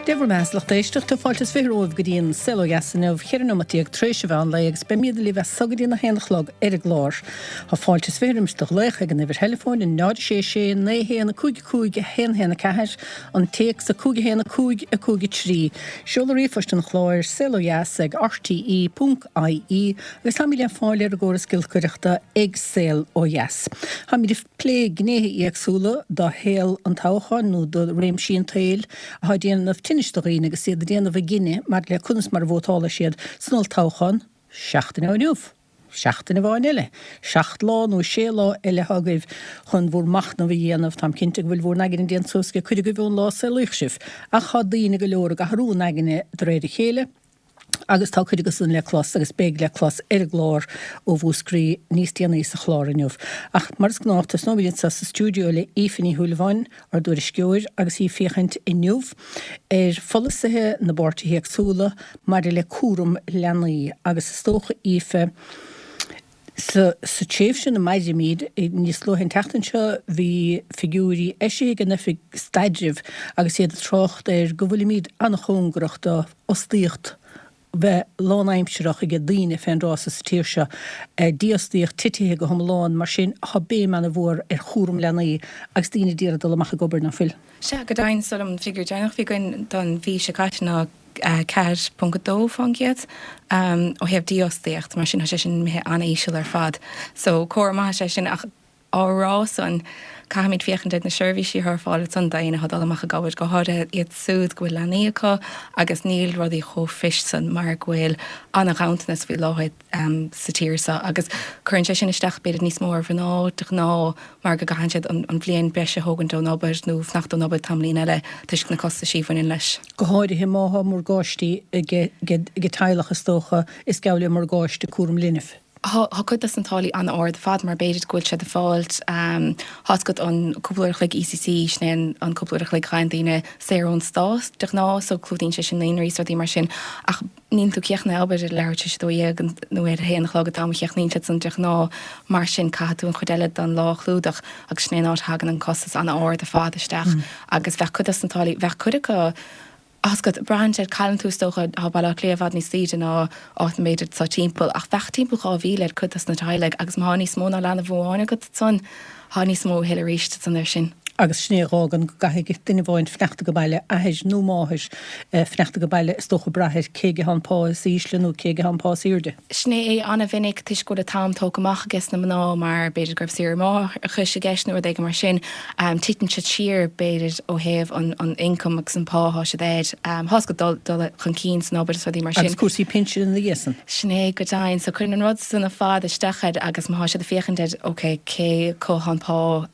Dia bhur mbeatha, a lucht éisteachta, fáilte is 20 romhaibh go dtí an Saol Ó Dheas inniu, 14 nóimeat tar éis an mheán lae agus beimid libh as so go dtí an 1 a chlog ar an gclár. Tá fáilte is 20 roimis do ghlaoch ag an uimhir theileafóin, 0 6 6 9 1 5 5 1 1 4, an téacs 5 1 5 5 3. Seoladh ríomhphoist an chláir, saolodheas ag rte ponc ie agus táimid le fáil ar an gcóras giolcaireachta ag Saol Ó Dheas. Táimid ag plé gnéithe éagsúla de shaol an toghcháin nó de réimsí an tsaoil atá ag déanamh tinnis do dhaoine agus iad ag déanamh a gcinnidh maidir le conas mar a vótálfaidh siad san olltoghchán seachtain ó inniu. Seachtain amháin eile. Seacht lá nó sé lá eile atá agaibh chun bhur machnamh a dhéanamh. Táim cinnte go bhfuil bhur n-aigne déanta suas ag cuid agaibh ón lá a saolaíodh sibh. Ach tá daoine go leor ag athrú a n-aigne de réir a chéile. Agus tá cuid acu san le clos agus beidh le clos ar an gclár ó Mhúscraí níos déanaí sa chlár inniu. Ach mar is gnách, tosnóimid anseo sa stiúideo le Aoife Ní Shúilleabháin, ár dtuairisceoir, agus í ag féachaint inniu ar pholasaithe na bpáirtithe éagsúla maidir le cúram leanaí. Agus is dócha, Aoife, Sa tréimhse ina mairimid, níos luaithe an tseachtain seo bhí figiúirí eisithe ag an Oifig Staidrimh agus iad ag trácht ar go bhfuilimid an-chóngarach do fhostaíocht bheith lánaimsearach ag daoine fén dtráth so sa tír seo. Dífhostaíocht titithe go hiomlán, mar sin tá béim an-mhór ar chúram leanaí agus daoine d'iarraidh dul amach ag obair, ná fuil? Sea, go deimhin, is dóigh liom an figiúr deireanach a bhí againn don mhí seo caite ná 4.2% ó thaobh dífhostaíocht, mar sin tá sé sin imithe an-íseal ar fad. So comhartha maith is ea sin ach á rá san, caithfimid féachaint ar na seirbhísí atá ar fáil ansan d'éinne atá ag dul amach ag obair, go háirithe iad súd go bhfuil leanaí acu agus níl rudaí chomh fuist san mar go bhfuil an-ghanntanas faoi láthair sa tír seo agus cuireann sé sin isteach b'fhéidir níos mó ar mhná de ghnáth mar go gcaitheann siad an bhliain breise a thógaint ón obair nó fanacht ón obair tamaillín eile toisc na costaisí a bhaineann leis. Go háirithe má thá morgáistí ag teaghlach is dócha is geall le morgáiste cúram linbh. Thá cuid dos na táillí an-ard ar fad mar b'fhéidir go bhfuil siad ag fáilt, thá's agat an cúpla uair a chloig ECC, sin é an cúpla uair a chloig a fhaigheann daoine saor ón stát de ghnáth so clúdaíonn sé sin naíonraí is rudaí mar sin ach níl tú críochnaithe obair ar leathuair tar éis a 12 nó ar a haon a chlog an t-am a chríochnaíonn siad san de ghnáth mar sin caithfidh tú an chuid eile den lá a chlúdach agus sin é an áit a thagann an costas an-ard ar fad isteach agus bheadh cuid dos na táillí, bheadh cuid acu Thá's agat, braitheann sé, cailleann tú is dócha, tá Baile Átha Cliath i bhfad níos ísle ná áit b'fhéidir atá timpeall, ach bheadh timpeall 2,000 ar cuid dos na teaghlaigh agus má thá níos mó ná leanbh amháin agat ansan, thá níos mó a thuilleadh arís ansan air sin. Agus sin é a dh'fhágann go gcaithfidh duine amháin fanacht age baile, athair nó máthair, fanacht age baile is dócha brath ar cé aige thá an pá is ísle nó cé aige thá an pá is aoirde. Sin é é an-mhinic toisc go bhfuil an t-am tógtha amach ages na mná mar b'fhéidir go raibh saoire máithreachais i gceist nó rud éigin mar sin. Titeann siad siar b'fhéidir ó thaobh an ioncaim agus an pá atá siad air. Thá's agat dul dul chun cinn san obair is rudaí mar sin. Agus cúrsaí pinsin ina dhiaidh san. Sin é go deimhin. So cuireann an rud san ar fad isteach air agus má thá siad ag féachaint ar ok cé acu thá an pá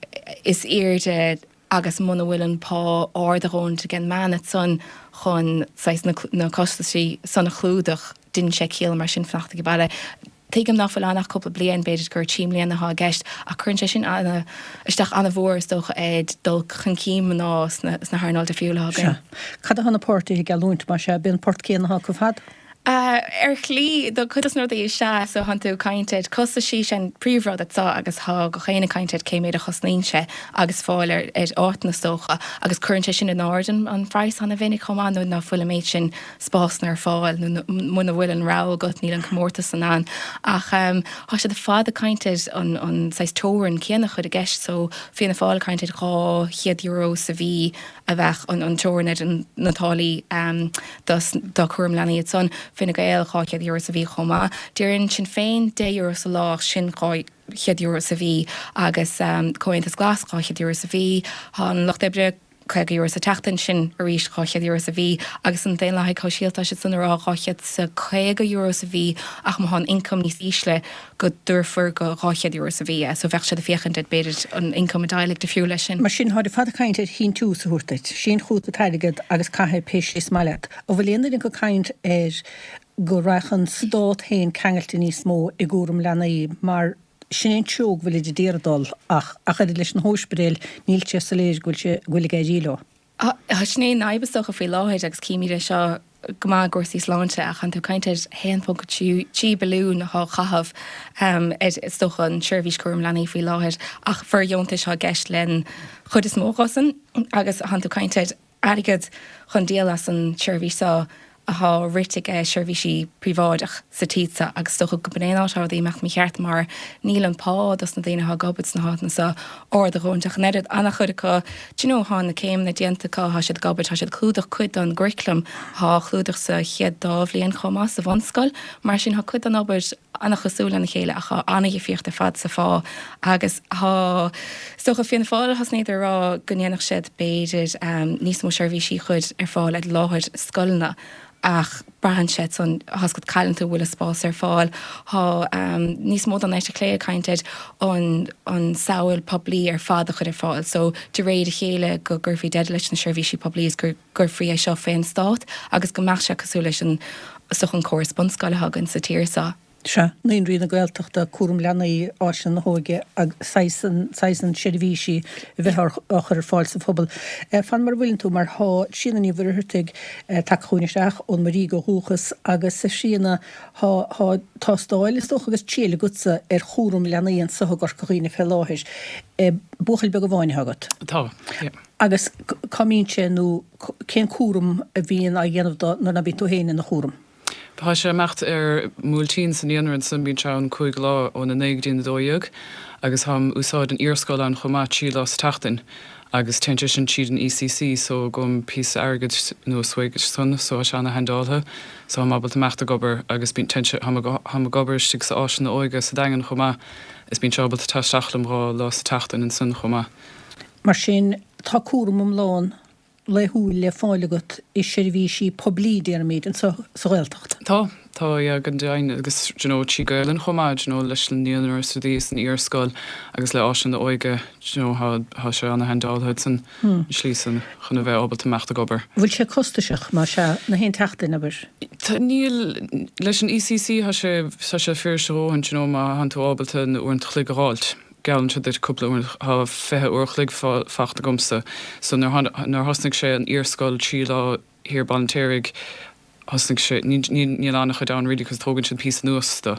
is aoirde agus muna bhfuil an pá ard a dhóthaint ag an mbean ansan chun saghas na costaisí san a chlúdach, deineann sé ciall mar sin fanacht age baile. Tuigim ná fuil ann ach cúpla bliain, b'fhéidir gur trí mbliana atá i gceist, ach cuireann sé sin ana, isteach ana-mhór is dócha ar dul chun cinn mná sna, sna hearnáil difriúla atá againn. Sea. Cad atá na páirtithe ag geallúint, más ea, b'é an port céanna atá acu ar fad? Ar shlí, do chuid dos na rudaí is ea, so thánn tú ag caint ar costaisí, sin príomhrud anseo agus thá gach éinne ag caint ar cé méid a chosnaíonn sé agus fáil ar áiteanna is dócha agus cuireann sé sin in airde an praghas ana-mhinic chomh maith nuair ná fuil an méid sin spásanna ar fáil nó muna bhfuil an rogha agat níl an comórtas san ann ach thá siad ar fad ag caint ar an an saghas teorainn céanna a chur i gceist so Fianna Fáil ag caint ar €200 sa mhí a bheadh an teorainn ar na táillí do chúram leanaí ansan. Fine Gael, €200 sa mhí chomh maith. Deireann Sinn Féin €10 sa lá, sin €200 sa mhí agus Comhaontas Glas €200 sa mhí. Tá an Lucht Oibre €50 sa tseachtain, sin arís €200 sa mhí agus an Daonlathaigh Shóisialta, tá siad san ag rá €250 sa mhí ach má tá an ioncam níos ísle, go dtabharfar go €200 sa mhí é, so bheadh siad ag féachaint ar b'fhéidir an ioncam i dteaghlaigh difriúil leis sin. Mar sin, táid ar fad ag caint ar shíntiús a thabhairt duit. Sín chugat an t-airgead agus caith é pé slí is maith leat. An bhfuil aon duine acu ag caint ar go raghadh an stát féin ceangailte níos mó i gcúram leanaí mar sin é an treo go bhfuilid ag iarraidh dul ach ach oiread leis na hóispidéil níl sé soiléir go bhfuil sé go bhfuil ag éirí leo. Sin é an fhadhb is dócha faoi láthair agus címid é seo go maith i gcúrsaí sláinte ach tánn tú ag caint ar 1.3 billiún atá á chaitheamh ar is dócha an tseirbhís cúram leanaí faoi láthair ach fóirdheontais atá i gceist len chuid is mó dho san agus tánn tú ag caint ar. airgead chun díol as an tseirbhís seo athá rite age seirbhísí príobháideach sa tír seo agus is dócha go b'in é an áit atá rudaí imeacht mícheart mar níl an pá dos na daoine athá ag obair sna háiteanna seo ard a dhóthain ach an oiread. An-chuid acu, do you know, thá na céimeanna déanta acu, thá siad ag obair, tá siad ag clúdach cuid don gcurriculum athá á chlúdach sa chéad dá bhliain chomh maith sa bhunscoil. Mar sin thá cuid don obair an-chosúil lena chéile ach tá an-dhifríocht ar fad sa phá agus tá, is dócha, Fianna Fáil thosnaíodar ag rá go ndéanfadh siad b'fhéidir níos mó seirbhísí a chur ar fáil ar láthair scoileanna ach braitheann sé san, tá's agat cailleann tú, bhfuil an spás ar fáil, tá níos mó den eite chlé ag caint ar an an samhail poiblí ar fad a chur ar fáil so de réir a chéile go gcuirfí deireadh leis na seirbhísí poiblí is go gcuirfí é seo fén stát agus go mbeadh sé cosúil leis an is dócha an córas bunscoile atá againn sa tír seo. Sea, Naíonraí na Gaeltachta, cúram leanaí, áiseanna na hóige agus saghas an, saghas an seirbhísí a bheith á chur ar fáil sa phobal. Fan mar a bhfuileann tú mar thá Tríona Ní Mhuircheartaigh tagtha chugainn isteach ón Muirígh ó dhúchas agus a Thríona, thá, thá tástáil is dócha agus triail agatsa ar chúram leanaí anso i gCorca Dhuibhne fé láthair. Buachaill beag amháin atá agat. Tá, yeah. Agus cá mbíonn sé nó cén cúram a bhíonn á dhéanamh dó nuair ná bíonn tú féin ina chúram? Tá sé ag imeacht ar m'uailtín sa naíonra ansan, bíonn sé ann 5 lá óna 9 go dtí na 12 agus táim úsáid an iarscoil ann chomh maith 3 lá sa tseachtain agus téann sé sin tríd an ECC so gabhaim píosa airgid anuas uaidh san so tá sé ana-handáilte so táim ábalta imeacht ag obair agus bíonn téann sé táim ag obair istigh sa áislann na óige sa Daingean chomh maith is bíonn sé ábalta teacht isteach liom 2 lá sa tseachtain ansan chomh maith. Mar sin, tá cúram iomlán laethúil le fáil agat i seirbhísí poiblí, déarfaimid, anseo sa Ghaeltacht. Tá, tá, yeah, go deimhin, agus do you know, trí Gaelainn chomh maith, do you know, leis an naíonra is rudaí is an iarscoil agus le áiseanna óige, do you know, thá, thá sé ana-handáilte san slí san chun a bheith ábalta imeacht ag obair. Bhfuil sé costasach, más ea, na haon tseachtain, abair? Tá, níl, leis an ECC thá sé, tá sé fuirist a dhóthain, do you know, má thánn tú ábalta na uaireanta chloig a dh'fháilt. Geallann siad duit cúpla uair, thá 20 uair a chloig fachta agamsa. So nuair nuair thosnaigh sé an iarscoil 3 lá thiar Baile an tSaoraigh, thosnaigh sé, ní ní níl an-chuid ann really cos tógann siad píosa anuas do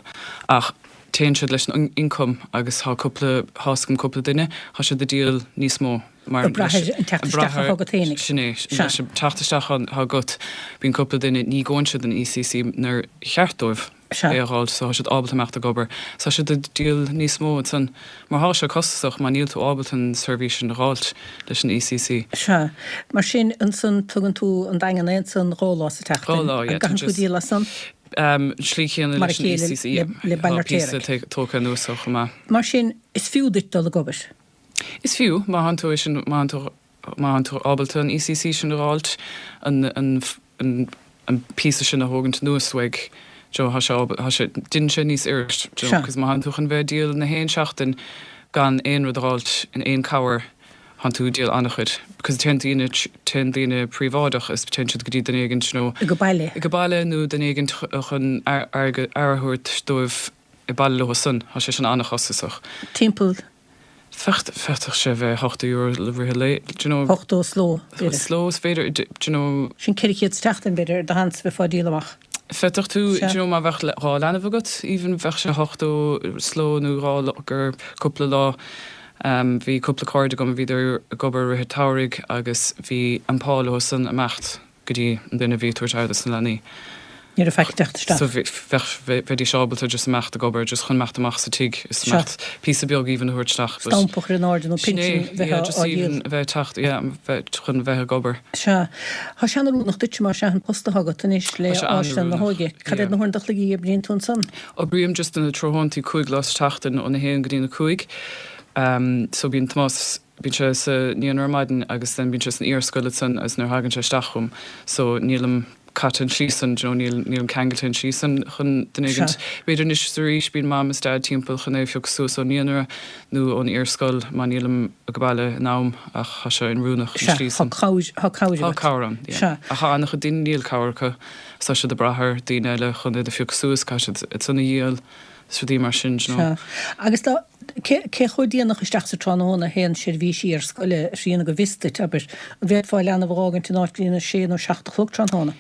ach téann siad leis an income agus thá cúpla, thá's agam cúpla duine, thá siad ag díol níos mó mar Ag brath ar an teacht isteach athá agat fhéinig. Sin é, leis an teacht isteach athá agat, bíonn cúpla duine, ní ghabhann siad an ECC nuair cheart dóibh. Sea. é a dh'fháilt so tá siad ábalta imeacht ag obair. So tá siad ag díol níos mó ansan. Mar thá sé costasach má níl tú ábalta an seirbhís sin a dh'fháilt leis an ECC. Sea. Mar sin, ansan tugann tú an Daingean é ansan dhá lá sa tseachtain. Dhá lá, yeah. An gcaitheann tú díol as san? An tslí chéanna Mar a leis an chéile ECC, yeah. le Baile Tá píosa Fheirtéaraigh. tógtha anuas chomh maith. Mar sin, is fiú duit dul ag obair. Is fiú, má thánn tú é sin, má thánn tú, má thánn tú ábalta an ECC sin a dh'fháilt, an, an, an, an píosa sin a thógaint anuas uaidh, do you know, thá sé ábal, thá sé, deineann sé níos fhuirist, do you know, Sea. cos má thánn tú chun bheith ag díol na haon seachtain gan aon rud a dh'fháilt in aon cabhair, thánn tú ag díol an-chuid, cos téann daoine, téann daoine príobháideach is téann siad go dtí duine éigint, you know, Go baile. go baile nó duine éigint chun airgead, aire a thabhairt dóibh ag baile leo san, thá sé sin an-chostasach. Timpeall. Féadfadh sé bheith €80 le rith an lae, do you know. 80 sa ló, b'fhéidir. Sa ló, is féidir, do you know. Sin 400 sa tseachtain, b'fhéidir, ar do sheans bheifeá ag díol amach. Féadfadh tú, do you know, má bheadh dhá leanbh agat, even, bheadh sé 80 sa ló nó dhá lá, gur cúpla lá. Bhí cúpla cairde agam a bhíodar ag obair i rith an tsamhraidh agus bhí an pá leo san imeacht. go dtí an duine a bhí ag tabhairt aire dos na leanaí. Ní raibh faic ag teacht isteach. So bheadh, bheidís ábalta just imeacht ag obair, just chun imeacht amach sa tigh is Sea. imeacht píosa beag even a thabhairt isteach but. Stampa a chur in airde nó Sin é, pinsean bheith yeah, á just dhíol. even a bheith ag teacht, yeah, bheith, chun bheith ag obair. Sea. Tá sé an-oiriúnach duitse mar sea an post atá agat anois le Tá sé Áislann na an-oiriúnach, hÓige. Cad yeah. iad na huaireanta a chloig a oibríonn tú ansan? Oibrím just na tráthnóntaí 5 lá sa tseachtain óna haon go dtí na cúig. So bíonn Tomás, Bíonn sé sa naíonra ar maidin agus then bíonn sé san iarscoil ansan agus nuair a thagann sé isteach chugam so nílim caite an tslí san, do you know, níl, nílim ceangailte an tslí san chun duine Sea. éigint. B'fhéidir anois is arís bíonn mam is dad timpeall chun é a phiocadh suas ón naíonra nó ón iarscoil má nílim ag baile in am ach thá sé oiriúnach an Sea, tslí thá san. cabhair, thá cabhair Thá agat. cabhair ann, yeah. Sea. Ach thá an-chuid daoine níl cabhair acu, is tá siad ag brath ar daoine eile chun iad a phiocadh suas, caithfidh siad iad san a dhíol is rudaí mar sin, do you know. Sea. Agus dá, cé, cé chomh déanach isteach sa tráthnóna a théann seirbhísí iarscoile, a Thríona, go bhfios duit, abair? An bhféadfá leanbh a dh'fhágaint in áit go dtí a sé nó seacht a chlog tráthnóna?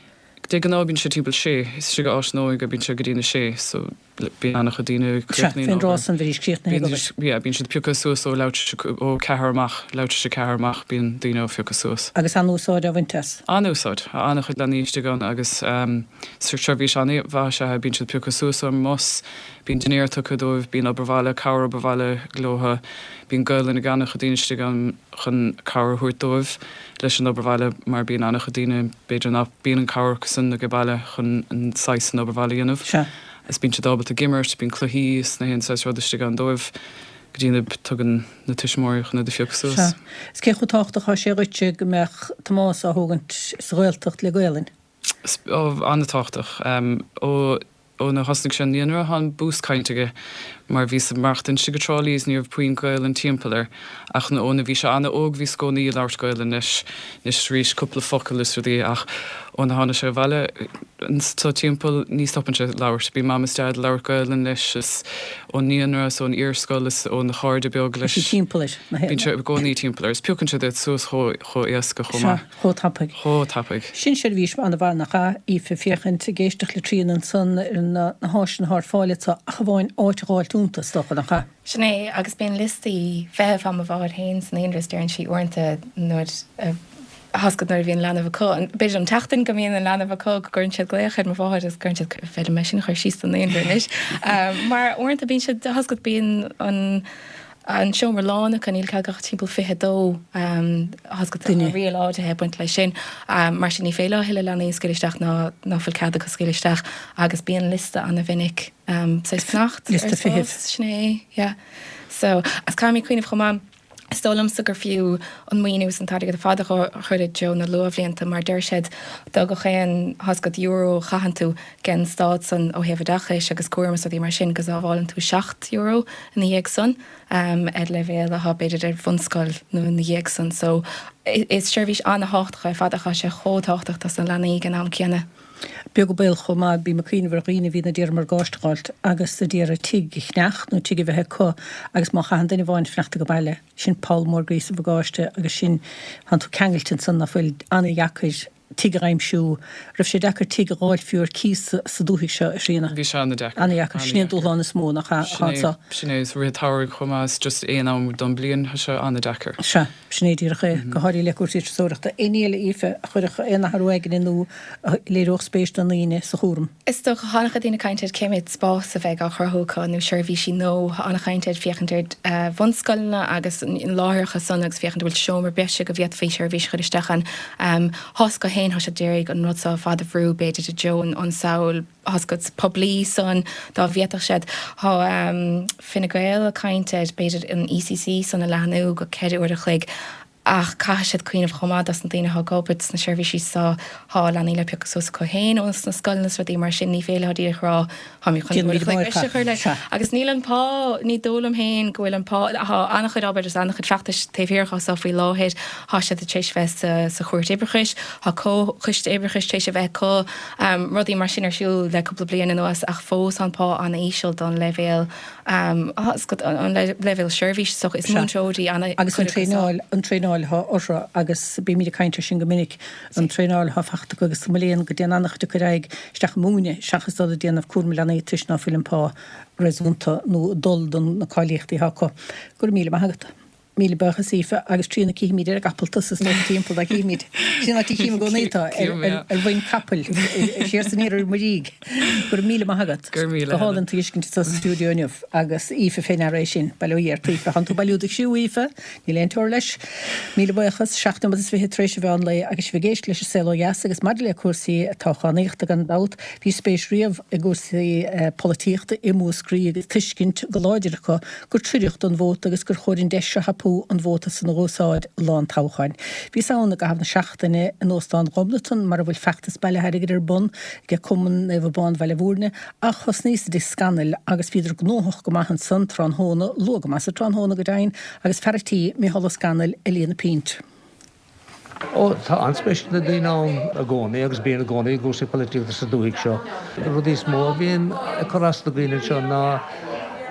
De ghnáth bíonn sé timpeall sé, istigh i Áis na hÓige bíonn sé go dtí na sé, so. Bíonn an-chuid daoine ag críochnaíonn Sea, fén dtráth san bhídís críochnaithe ag obair. Yeah, bíonn siad pioctha suas ó leathuair ó ceathair amach, leathuair tar éis a ceathair amach, bíonn daoine á phiocadh suas. Agus an-úsáid á bhaint as? An-úsáid. Tá an-chuid leanaí istigh ann agus seirbhís an-mhaith is ea é. Bíonn siad pioctha suas ón mbus, bíonn dinnéar tugtha dóibh, bíonn obair bhaile, cabhair obair bhaile leotha, bíonn Gaolainn ag an-chuid daoine istigh ann chun cabhair a thabhairt dóibh leis an obair bhaile mar bíonn an-chuid daoine, b'fhéidir nach bíonn an cabhair acusan age baile chun an saghas san obair bhaile a dhéanamh. Sea. Is bíonn siad ábalta ag imirt, bíonn cluichí is na haon saghas rud istigh ann dóibh go dtí na tugann na tuismitheoirí chun iad a phiocadh suas. Sea. Is cé chomh tábhachtach atá sé dhuitse go mbeadh Tomás á thógaint sa Ghaeltacht le Gaelainn? Ó, an-tábhachtach. Ó ó na thosnaigh sé an naíonra tá an bús cainte aige mar bhíos ag maireachtaint istigh i dTrá Lí is ní raibh puinn Gaelainn timpeall air ach ó na bhí sé an-óg bhíos i gcónaí ag labhairt Gaelainn leis anois arís cúpla focal is rudaí ach ó na tháinig sé abhaile anso timpeall ní stopann sé labhairt. Bíonn Mam is Deaid ag labhairt Gaelainn leis is ón naíonra is ón iarscoil is óna chairde beag leis. Bíonn sé timpeall air. Bíonn sé i gcónaí timpeall air is piocann sé iad suas chomh chomh éasca chomh maith. Sea, chomh tapaidh. Chomh tapaidh. Sin seirbhís an-mhaith nach ea, Aoife, féachaint ag éisteacht le Tríona ansan ar na háiseanna atá ar fáil anso ach amháin áit a dh'fháilt iontu, is dócha, nach ea? Sin é, agus bíonn liostaí feithimh Tá mo mháthair féin sa naíonra is deireann sí uaireanta nuair a thoscaid nuair a bhíonn leanbh acu, b'fhéidir an tseachtain go mbíonn an leanbh acu go gcuireann siad glaoch ar mo mháthair agus cuireann siad féidir mé sin a chur síos don naíonra anois. Mar uaireanta bíonn siad thoscaid bíonn an an seomra lán acu, níl cead ach timpeall 22 thoscaid tá riail áirithe ag baint leis sin. Mar sin ní féidir leo a thuilleadh leanaí a scaoileadh isteach ná ná fuil cead acu scaoileadh isteach agus bíonn liosta ana-mhinic saghas fanacht ar Liosta feithimh. spás, sin é, yeah. So, agus caithfidh mé cuimhneamh chomh maith, is dóigh liomsa gur fiú an maoiniú is an t-airgead ar fad a chur i dtreo na luathbhlianta mar deir siad do gach aon thoscaid euro a chaitheann tú den stát san ó thaobh oideachais agus cúram is rudaí mar sin go sábhálann tú €7 ina dhiaidh san ar leibhéal atá b'fhéidir ar bhunscoil nó ina dhiaidh san. So is seirbhís an-thábhachtach ar fad ach tá sé chomh tábhachtach dos na leanaí ag an am céanna. Beag an baol chomh maith, bím ag cuimhneamh ar dhaoine a bhíonn a d'iarraidh morgáiste a dh'fháilt agus a d'iarraidh tigh a cheannacht nó tigh a bheith acu agus má chaitheann duine amháin fanacht age baile, sin poll mór groí sa mhorgáiste agus sin, tánn tú ceangailte ansan ná fuil, an-dheacair tigh a aimsiú. Raibh sé deacair tigh a dh'fháilt fiú ar cíos sa dúthaigh seo, a Thríona? Bhí sé an-deacair. An-dheacair. Sin é an dúshlán is mó, nach ea, atá anso. Sin é, is rith an tsamhraidh chomh maith, is just aon am don bliain, tá sé an-deacair. Sea. Sin é díreach é, go háirithe le cúrsaí turasóireachta. Aon ní eile, Aoife, a chuirfeadh aon athrú aigne nó a léireodh spéis do ndaoine sa chúram? Is dócha, tá an-chuid daoine ag caint ar cé mhéad spás a bheidh á chruthú acu nó seirbhísí nó tá an-chaint ar féachaint ar bhunscoileanna agus na láithreacha san agus féachaint an bhfuil seomra breise go bhféadfaí seirbhís a chur isteach ann. Tá's acu féin, tá siad d'iarraidh an rud seo ar fad a bhrú b'fhéidir i dtreo an samhail thoscaid poiblí san dá bhféadfadh siad. Tá Fine Gael ag caint ar b'fhéidir an ECC san a leathnú go 4 uair a chloig ach caithfidh siad cuimhneamh chomh maith dos na daoine atá ag obair sna seirbhísí so tá leanaí le piocadh suas acu féin ós na scoileanna is rudaí mar sin ní féidir leo díreach a rá táimid chun uair a chloig breise a chur leis agus níl an pá ní dóigh liom féin go bhfuil an pá tá an-chuid obair agus an-chuid feachtais taobh thiar dhó so faoi láthair tá siad tar éis bheith sa sa chúirt oibreachais tá comhchoiste oibreachais tar éis a bheith acu rudaí mar sin ar siúl le cúpla bliain anuas ach fós tá an pá an-íseal don leibhéal an leibhéal seirbhíse so is múinteoirí an Agus an traenáil, an traenáil atá orthu agus bímid ag caint air sin go minic, an traenáil atá fachta acu agus mo léan go dtéann an-chuid acu ar aghaidh isteach ag múineadh seachas dul ag déanamh cúram leanaí toisc ná fuil an pá réasúnta nó ag dul don na cáilíochtaí atá acu. Go raibh míle maith agat. Míle buíochas Aoife agus Tríona cífimid ar an gcapall tusa is dócha timpeall dá cífimid. Sin an áit a chím i gcónaí tú, ar mhuin capaill, siar is aniar ar muirígh. Go raibh míle maith agat. Go raibh míle. Go hálainn tú a fheiscint anso sa stiúideo inniu agus Aoife fé ndeara é sin. Bail ó Dhia ort Aoife. Thánn tú ag bailiú do chriú Aoife, níl aon teora leis. Míle buíochas. 7 nóiméad is 20 tar éis an mheán lae agus sibh ag éisteacht leis an Saol Ó Dheas agus maidir le cúrsaí toghchánaíochta gan dabht bhí spéis riamh i gcúrsaí polaitíochta i Múscraí agus tuiscint go láidir acu gur triuch don vóta agus gur chóir an deis a thapú an vóta san a dh'úsáid lá an toghcháin. Bhíos ann i gcaitheamh na seachtaine in Óstán Ghobnatan mar a bhfuil feachtas bailithe airgid ar bun ag Cumann Naomh Abán Bhaile Bhúirne ach thosnaíos i dTigh Scannaill agus bhíodar gnóthach go maith ansan tráthnóna, luath go maith sa tráthnóna go deimhin, agus fear a' tí, Micheál Ó Scanaill, ag líonadh pínt. Ó, tá an-spéis ag na daoine ann i gcónaí agus bíonn i gcónaí i gcúrsaí polaitíochta sa dúthaigh seo. Na rudaí is mó a bhíonn ag cur as do dhaoine anseo ná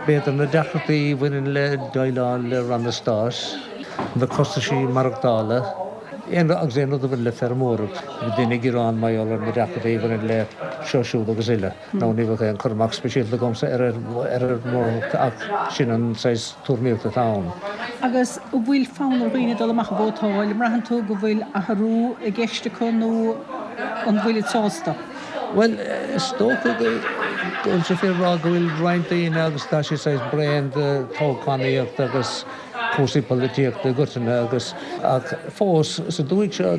b'fhéidir na deacrachtaí a bhaineann le déileáil le ranna stáit, na costaisí maireachtála. Aon agus aon rud a bhaineann le feirmeoireacht, bhí daoine ag gearán mar gheall ar na deacrachtaí a bhaineann le seo siúd agus uile. Nó ní bheadh aon cur amach speisialta agamsa ar ar fheirmeoireacht ach sin an saghas tuairimíocht atá ann. Agus an bhfuil fonn ar dhaoine dul amach a vótáil? An mbraitheann tú go bhfuil athrú i gceist acu nó an bhfuilid sásta? Bhuel, is dócha go bhfuil sé fíor a rá go bhfuil roinnt daoine agus tá siad saghas bréan de toghchánaíocht agus cúrsaí polaitíochta i gcoitinne agus ach fós sa dúthaigh seo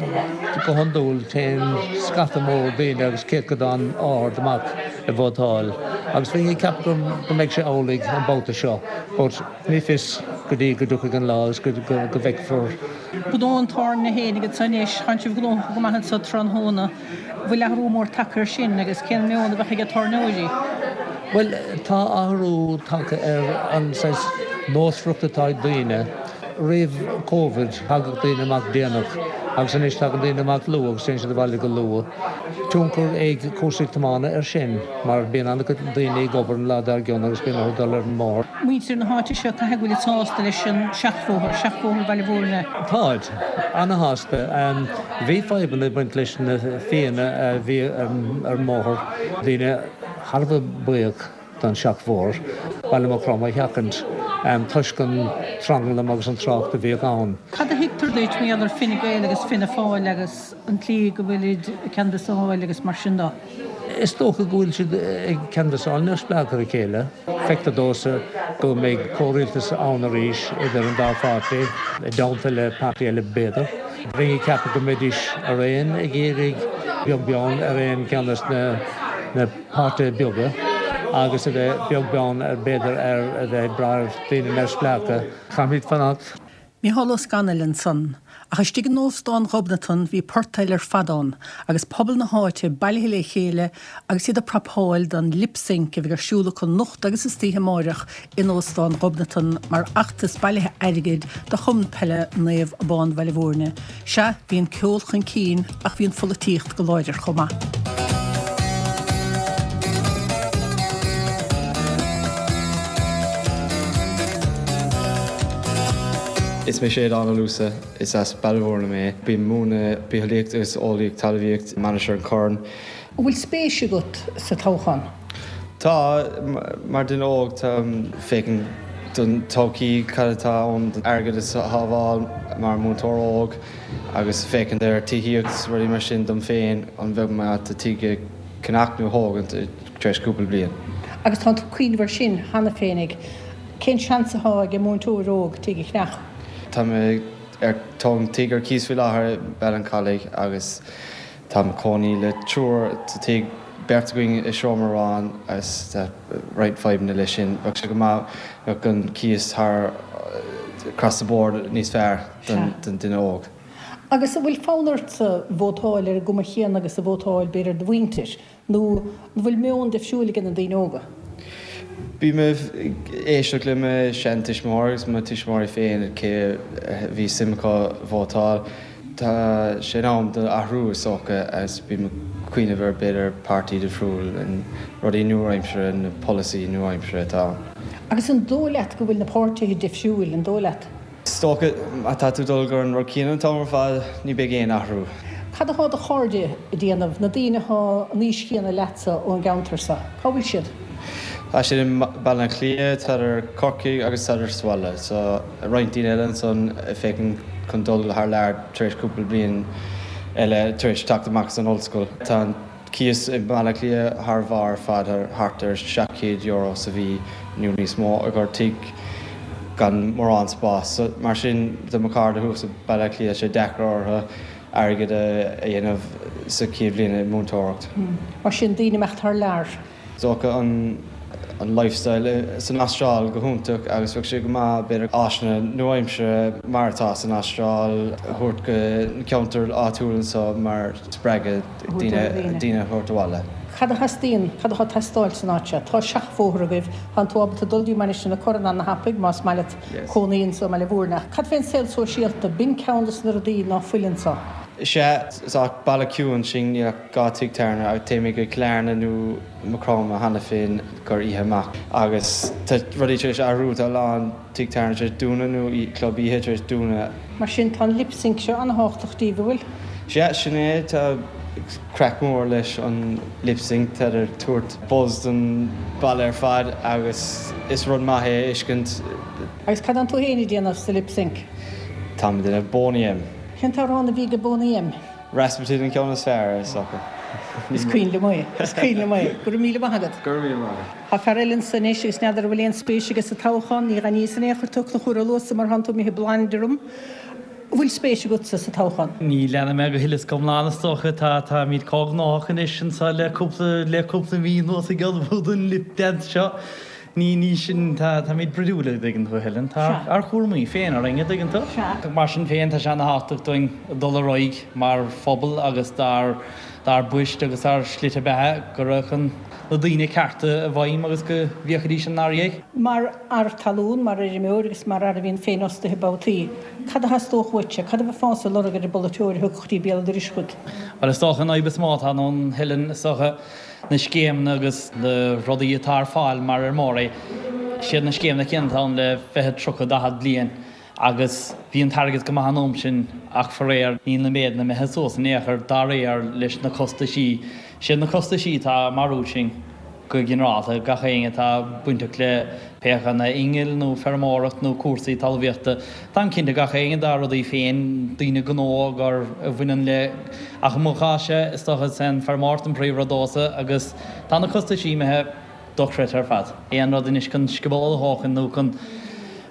go hiondúil téann scata mór daoine agus céatadán ard amach ag vótáil agus bheinn ag ceapadh go go mbeidh sé amhlaidh an babhta seo but ní fios go dtí go dtiocfaidh an lá agus go go bhfeicfear. Gnó an tábhairne féinig anso anois, tánn sibh gnóthach go maith anso tráthnóna. Bhfuil athrú mór tagtha air sin agus cén meon a bheadh ag tábhairneoirí? Bhuel, tá athrú tagtha ar an saghas nósmhaireacht atá ag daoine. Roimh Covid, thagadh daoine amach déanach agus anois tagann daoine amach luath agus téann siad abhaile go luath. Tionchar ag cúrsaí tiomána air sin mar bíonn an-chuid daoine ag obair an lá dár gcionn agus bíonn orthu dul ar an mbóthar. Muintir na háite seo, caithfidh go bhfuilid sásta leis an seachbhóthar, seachbhóthar Bhaile Mhúirne. Táid. Ana-shásta. Bhí fadhbanna ag baint leis na fianna a bhí ar an mbóthar. Daoine thar a bheith buíoch don seachbhóthar, Baile Mhucroma a sheachaint toisc an tranglam agus an trácht a bhíodh ann. Cad a thuigtear duit mar gheall ar Fine Gael agus Fianna Fáil agus an tslí go bhfuilid ag canbhasáil agus mar sin de? Is dócha go bhfuil siad ag canbhasáil neamhspleách ar a chéile. Feictear domhsa go mbeidh comhrialtas ann arís idir an dá pháirtí, i dteannta le páirtí eile b'fhéidir. Bheinn ag ceapadh go mbeidís araon ag iarraidh beag beann ar aon cheann de na páirtithe beaga agus a bheith beag beann ar b'fhéidir ar a bheith ag brath ar daoine neamhspleácha. Caithfimid fanacht. Mícheál Ó Scanaill ansan. Ach istigh in Óstán Ghobnatan bhí port eile ar fad ann, agus pobal na háite bailithe le chéile agus iad ag prapáil don Lip Sync a bheidh ar siúl acu anocht agus istoíche amáireach in Óstán Ghobnatan mar fheachtas bailithe airgid do Chumann Peile Naomh Abán Bhaile Mhúirne. Sea, bhí an ceol chun cinn ach bhí an pholaitíocht go láidir chomh maith. Is mé Séadán Ó Luasa, is as Baile Mhúirne mé. Bím ag múineadh Bitheolaíocht agus Eolaíocht Talmhaíocht i Mainistir an Chorráin. An bhfuil spéis agat sa toghchán? Tá, mar duine óg táim féachaint don todhchaí, cad atá ann don airgead a shábháil mar múinteoir óg agus féachaint ar tithíocht is rudaí mar sin dom féin, an bheadh mé ábalta tigh a cheannach nó a thógaint tar éis cúpla bliain. Agus tánn tú ag cuimhneamh air sin cheana féinig. Cén seans atá ag múinteoir óg tigh a cheannach? Tá mé ag tógaint tigh ar cíos faoi láthair i mBeal an Chalaidh agus táim ag cónaí le triúr sa tigh, beirt againn i seomra amháin agus tá roinnt fadhbanna leis sin. Bheadh sé go maith bheadh an cíos thar across the board níos fearr don duine óg. Agus an bhfuil fonn ortsa vótáil ar an gcuma chéanna agus a vótáil b'fhéidir do mhuintir? Nó an bhfuil meon difriúil ag na daoine óga? Bím ag éisteacht le mo sheantuismitheoirí agus mo tuismitheoirí féin cé a bhí suim acu vótáil. Tá sé in am do athrú is dócha agus bím ag cuimhneamh ar b'fhéidir páirtí difriúil, rudaí nua-aimseartha, na polasaí nua-aimseartha atá ann. Agus an dóigh leat go bhfuil na páirtithe difriúil, an dóigh leat? Is dócha, má tá tú dul gur an rud céanna an t-am ar fad, ní beidh aon athrú. Cad atá do chairde ag déanamh, na daoine atá an aois chéanna leatsa ón gceantar seo? Cá bhfuil siad? Tá siad i mBaile Átha Cliath, tádar i Corcaigh agus tádar sa bhaile. So, roinnt daoine eile ansan ag féachaint chun dul thar lear tar éis cúpla bliain eile tar éis teacht amach as an ollscoil. Tá an. Cíos i mBaile Átha Cliath thar bharr ar fad, thart ar €700 sa mhí nó níos mó i gcomhair tigh gan mórán spás. Mar sin do mo chairde thuas i Baile Átha Cliath, sé deacair orthu airgead a dhéanamh sa chéad bhliain ag múinteoireacht. Mar sin daoine imeacht thar lear. Is dócha an an lifestyle san Astráil go hiontach agus bheadh sé go maith b'fhéidir áiseanna nua-aimseartha mar atá san Astráil a thabhairt go na ceantair áitiúil anseo mar spreagadh daoine daoine a thabhairt abhaile. Cad a theastaíonn, cad atá ag teastáil san áit seo? Tá seachbhóthar agaibh, tánn tú ábalta dul dtí Mainistir na Corann ana-thapaidh más maith leat cónaí anso i mBaile Mhúirne. Ach cad fén saol sóisialta? B'in ceann de na rudaí ná fuil anso. Sea, is ach baile ciúin sin, níl ach 2 tigh tábhairne ach téimid go Cill Airne nó Maigh Chromtha cheana féin gur oíche amach agus tá rudaí tar éis athrú, tá a lán tigh tábhairne tar éis dúnadh nó club oíche tar éis dúnadh. Mar sin tá an lip-sync seo an-thábhachtach daoibh, an bhfuil? Sea, sin é, tá craic mór leis an lip-sync, tá ag tabhairt buzz don baile ar fad agus is rud maith é a fheiscint. Agus cad atánn tú féin ag déanamh sa lip-sync? Táim ag déanamh Boney M. Cén t-amhrán a bhí ag Boney M? Rasputin an ceann is fearr, is dócha. Is cuimhin liom é. Is cuimhin liom é. Go raibh míle maith agat. Go raibh míle maith agat. Tá fear eile anso anois agus n'fheadar an bhfuil aon spéis aige sa toghchán. Ní ghainníos in aon chor tú a Chonchúir Ó Luasa mar thánn tú imithe blind orm. An bhfuil spéis agatsa sa toghchán? Ní leanfaidh mé go huile is go hiomlán is dócha. Tá, táimid chomh gnóthach anois anso le cúpla, le cúpla mí anuas ag ullmhú don lip dance seo. Ní, ní sin, tá, táimid brúidiúil, a dtuigeann tú, a Helen. Tá ár chúramaí féin orainn, a dtuigeann tú. Sea. Mar sin féin, tá sé ana-thábhachtach dúinn dul ar aghaidh mar phobal agus dár, dár bpoist agus ár slite beatha go raghadh na daoine cearta i bhfeidhm agus go bhféachfaidís inár ndiaidh. Mar fhear talún, mar fheirmeoir agus mar fhear a bhíonn féinfhostaithe babhtaí, cad a theastódh uaitse? Cad a bheifeása ag lorg ar an bpolaiteoir a thiocfadh go dtí béal an dorais chugat? Bhuel, is dócha an fhadhb is mó atá ann, Helen, is dócha, na scéimeanna agus na rudaí atá ar fáil mar fheirmeoirí, siad na scéimeanna céanna atá ann le 20, 30, 40 bliain agus bhí an t-airgead go maith an am sin ach faraor níl na méideanna imithe suas in aon chor dá réir leis na costaisí. Siad na costaisí atá ag marú sinn go ginearálta, gach éinne atá bainteach le pé acu na innill nó feirmeoireacht nó cúrsaí talmhaíochta. Táim cinnte gach éinne dá rudaí féin, daoine gnó gur a bhaineann le, ach i mo chás-se, is dócha is é an feirmeoireacht an príomhrud domhsa agus tá na costaisí imithe dochreidte ar fad. Aon rud anois chun scioból a thógaint nó chun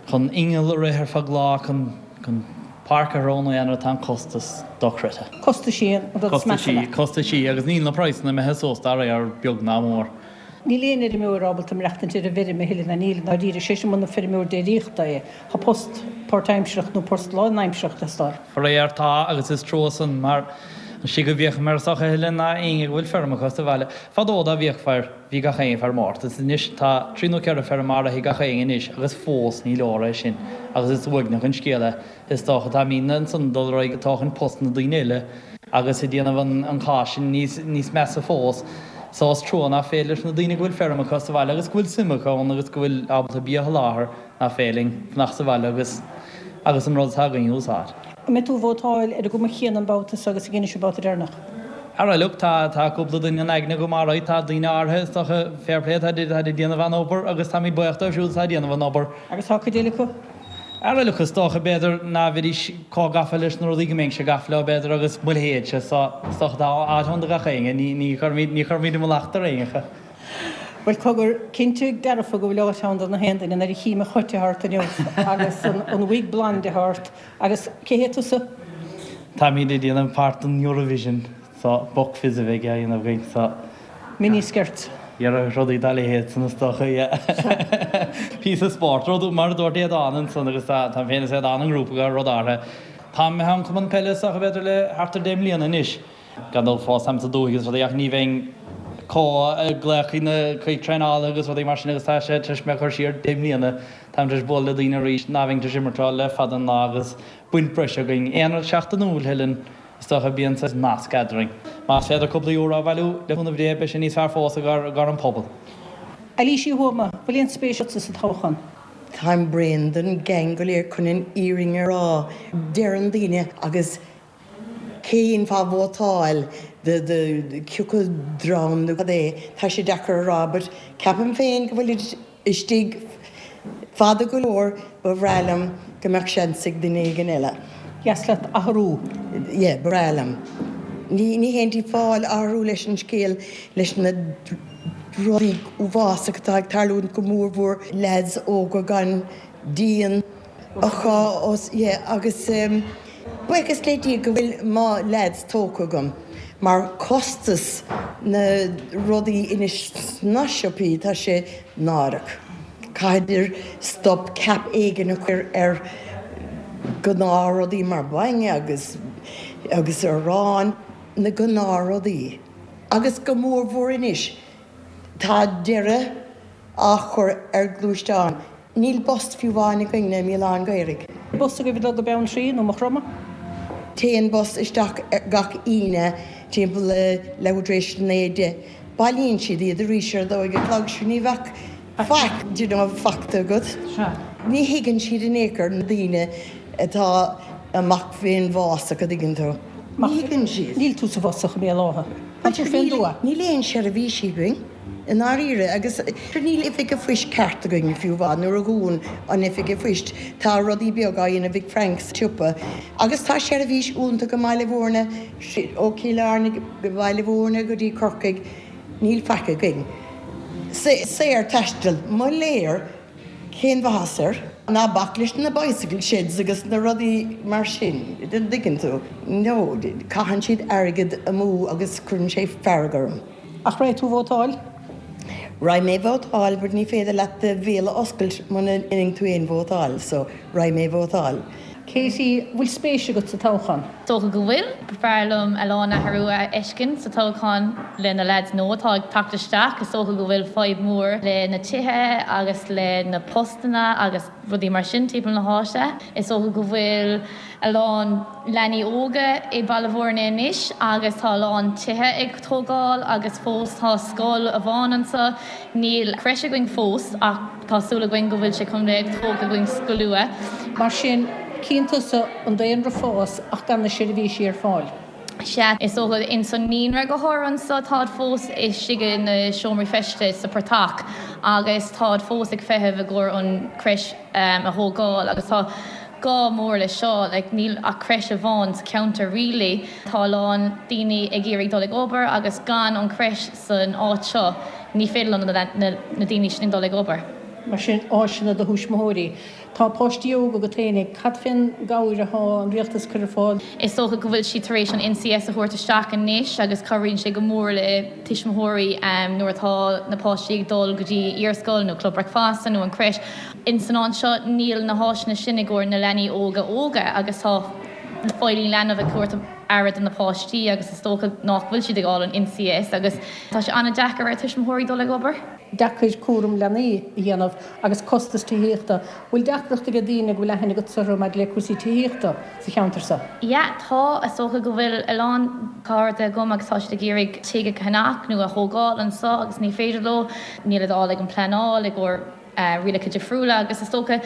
chun inneall a rith ar feadh lá, chun chun páirc a threo nó aon rud, tá an costas dochreidte. Costaisí an rud is measa leat. Costaisí, agus níl na praghsanna imithe suas dá réir, beag ná mór. Níl aon fheirmeoir ábalta maireachtaint ar an bhfeirm a thuilleadh, ná níl, i ndáiríre, sé sin muna feirmeoir déiríochta é. Tá post páirtaimsearach nó post lánaimsearach ag teastáil. Faraor tá, agus is trua san, mar an slí go bhféachaim air is dócha a Helen ná éinne go bhfuil feirm acu sa bhaile. Fadó dá bhíodh fear, bhí gach éinne ag feirmeoireacht, agus anois tá trí nó ceithre feirm áirithe ag gach éinne anois agus fós ní leor é sin, agus is uaigneach an scéal é. Is dócha táimidne ansan ag dul ar aghaidh ag tógaint post na daoine eile agus ag déanamh an cás sin níos measa fós. So is trua nach féidir leis na daoine go bhfuil feirm acu sa bhaile agus go bhfuil suim acu ann agus go bhfuil ábalta bia a sholáthar nach féidir linn fanacht sa bhaile agus agus an rud atá againn a úsáid. An mbeidh tú ag vótáil ar an gcuma chéanna an babhta seo agus a dheinis an babhta deireanach? Ara look, tá tá cúpla duine in aigne agam alright, tá daoine áirithe is dócha, fair play, atá ag déanamh an-obair agus táimid buíoch dóibh siúd atá ag déanamh an obair. Agus tá cuid eile acu? Ara look, is dócha, b'fhéidir, ná bheidís chomh gafa leis na rudaí go mbeinnse gafa leo, b'fhéidir, agus mo leithéidse, so is dócha tá áit ann do gach éinne, ní, ní chuirfimid, ní chuirfimid an mallacht ar éinne. Bhuel, cogar, cinnte dearfa go bhfuil áit ann do na haon duine nuair a chím an choite ort inniu agus an, an wig blonde atá ort agus cé hé tusa? Táimid ag déanamh páirt don Eurovision. So, Buck Fizz a bheidh á dhéanamh againn, so. Mini skirt. Yeah, rudaí dá leithéid san is dócha, yeah. Píosa spóirt, rud, mar a dúirt Aodán ansan agus tá, táim féin is Aodán i ngrúpa go rud áirithe. Táim imithe ón chumann peile is dócha b'fhéidir le thart ar deich mbliana anois. Gan dul fós táim sa dúthaigh agus rudaí ach ní bheinn chomh ag glaoch chuig na, chuig traenálaithe agus rudaí mar sin agus tá sé tar éis mé a chur siar deich mbliana. Táim tar éis bualadh le daoine arís ná bheinn tar éis imirt leo le fada an lá agus baint breise againn. Aon rud seachtainiúil, Helen. Is dócha bíonn saghas nasc eadrainn. Más féidir cúpla euro a bhailiú, le cúnamh Dé, beidh sé níos fearr fós i gcomhair an pobal. Eilís Uí Thuama, bhfuil aon spéis agatsa sa toghchán? Táim bréan den gang go léir chun an fhírinne a rá. Deireann daoine agus cén fáth vótáil do do cioca dream nó cad é, tá sé deacair a rá but ceapaim féin go bhfuilid istigh fada go leor, ba bhreá liom go mbeadh seans ag duine éigin eile. Dheas leat athrú. Yeah, ba bhreá liom. Ní, ní haon fáil athrú leis an scéal, leis na rudaí uafásacha atá ag tarlúint go mór mhór leaids óga gan díon acu os, yeah, agus buíochas le Dia go bhfuil mo leaids tógtha agam mar costas na rudaí anois sna siopaí tá sé náireach. Caithfidh stop cap éigin a chur ar gnáthrudaí mar bainne agus agus arán, na gnáthrudaí. Agus go mór mhór anois tá deireadh á chur ar gluaisteáin. Níl bus fiú amháin againne i mBéal Átha an Ghaorthaidh. Bus agaibh ag dul go Beanntraí nó Maigh Chromtha? Téann bus isteach gach Aoine timpeall leathuair tar éis a naoi, deich. Bailíonn siad iad arís ar a dó a chlog, sure ní bheadh faic, do you know, fachta agat. Ní thuigeann siad in aon chor na daoine atá amach fén bhfásach, a dtuigeann tú. Ní thuigeann siad. Níl tú sa bhfásach i mBéal Átha. Tá tú fén dtuath. Níl aon seirbhísí againn, i ndáiríre, agus níl oifig a phoist ceart againn fiú amháin. Nuair a dhún an oifig a phoist, tá rudaí beaga á dhéanamh ag Frank sa tsiopa. Agus tá seirbhís iontach i mBaile Mhúirne, ó Chill Airne go Baile Mhúirne go dtí Corcaigh, níl faic againn. Saor taisteal, mo léir! Cén mhaitheas air? Ná bac leis na bicycle sheds agus na rudaí mar sin, an dtuigeann tú? No, caitheann siad airgead amú agus cuireann sé fearg orm. Ach raghaidh tú vótáil? Raghaidh mé vótáil but ní féidir leat do bhéal a oscailt muna ndéanann tú aon vótáil, so raghaidh mé vótáil. Katie, bhfuil spéis agat sa toghchán? Dócha go bhfuil. B'fhearr liom a lán athrú a fheiscint sa toghchán le na leaids nua atá ag teacht isteach. Is dócha go bhfuil fadhb mór le na tithe agus le na postanna agus rudaí mar sin timpeall na háite. Is dócha go bhfuil a lán leanaí óga i Baile Mhúirne anois agus tá a lán tithe ag tógáil agus fós tá scoil amháin anseo. Níl crèche againn fós ach tá súil againn go bhfuil sé chun bheith tógtha againn go luath. Mar sin, cíonn tusa an daonra fás ach gan na seirbhísí ar fáil. Sea, is dócha ins an naíonra go háirithe anso táid fós istigh i na seomraí feiste sa portach agus táid fós ag feitheamh i gcomhair an crèche a thógáil agus tá gá mór le seo, like níl ach crèche amháin sa cheantar really. Tá a lán daoine ag iarraidh dul ag obair agus gan an crèche san áit seo ní féidir le na daoine sin dul ag obair. Mar sin, áiseanna do thuismitheoirí. Tá páistí óga agat fhéinig. Cad fén gcabhair athá an rialtas ag cur ar fáil? Is dócha go bhfuil siad tar éis an NCS a thabhairt isteach anois agus cabhraíonn sé go mór le tuismitheoirí nuair atá na páistí ag dul go dtí iarscoil nó club bricfeasta nó an crèche. Ins an áit seo níl na háiseanna sin i gcomhair na leanaí óga óga agus tá feighlí leanbh ag tabhairt aire do na páistí agus is dócha nach bhfuil siad ag fháil an NCS agus tá sé an-deacair ar tuismitheoirí dul ag obair. Deacair cúram leanaí a dhéanamh agus costas tithíochta. Bhfuil deacracht ag daoine go bhfuil aithne agatsa orthu maidir le cúrsaí tithíochta sa cheantar seo? Yeah, tá. Is dócha go bhfuil a lán cairde agam agus tá siad ag iarraidh tigh a cheannach nó a thógáil anseo agus ní féidir leo. Níl a fháil ag an pleanáil i gcomhair rialacha difriúla agus is dócha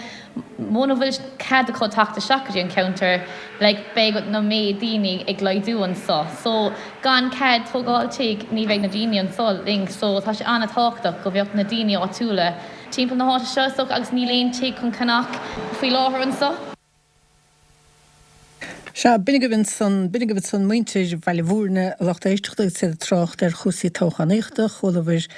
muna bhfuil cead acu teacht isteach go dtí an ceantar like beidh na méid daoine ag laghdú anseo so gan cead tógáil tigh ní bheidh na daoine anseo linn so tá sé an-tábhachtach go bheadh na daoine áitiúla timpeall na háite seo is dócha agus níl aon tigh chun ceannach faoi láthair anseo. Sea, b'in agaibh ansan, b'in agaibh ansan muintir Bhaile Mhúirne, a lucht éisteachta agus iad ag trácht ar chúrsaí toghchánaíochta. Chualabhair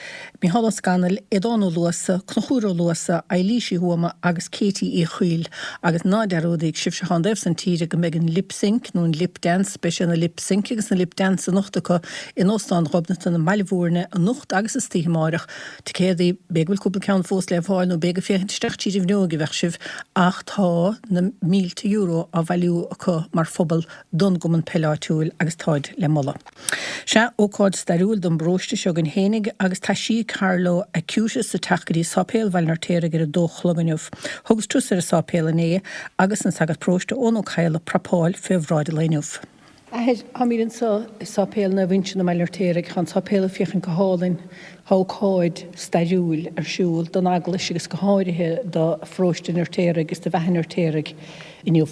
Mícheál Ó Scanaill, Aodán Ó Luasa, Conchúr Ó Luasa, Eilís Uí Thuama agus Katie Uí Chuill. Agus ná dearúdaíg, sibhse atá an taobh san tíre, go mbeidh an Lip Sync, nó an Lip Dance, beidh sé ina Lip Sync agus ina Lip Dance anocht acu in Óstán Ghobnatan i mBaile Mhúirne anocht agus istoíche amáireach. Ticéadaí, b'fhéidir go bhfuil cúpla ceann fós le fáil nó b'fhéidir ag féachaint isteach tríd an bhfuinneog a bheadh sibh ach tá na mílte euro á bhailiú acu mar phobal don gcumann peile áitiúil agus táid le moladh. Sea, ócáid stairiúil don bparóiste seo againn fhéinig agus taisí Carlo Acutis ag teacht go dtí Sáipéal Bhaile an Fheirtéaraigh ar a dó a chlog inniu. Thugas turas ar an sáipéal inné agus an Sagart Paróiste Eoin Ó Cadhla ag prapáil fé bhráid an lae inniu. Athair, táimid anseo i Sáipéal Naomh Uinseann i mBaile an Fheirtéaraigh. Tá an sáipéal ag féachaint go hálainn. Tá ócáid stairiúil ar siúl don eaglais agus go háirithe do pharóiste an Fheirtéaraigh agus do bheatha an Fheirtéaraigh inniu.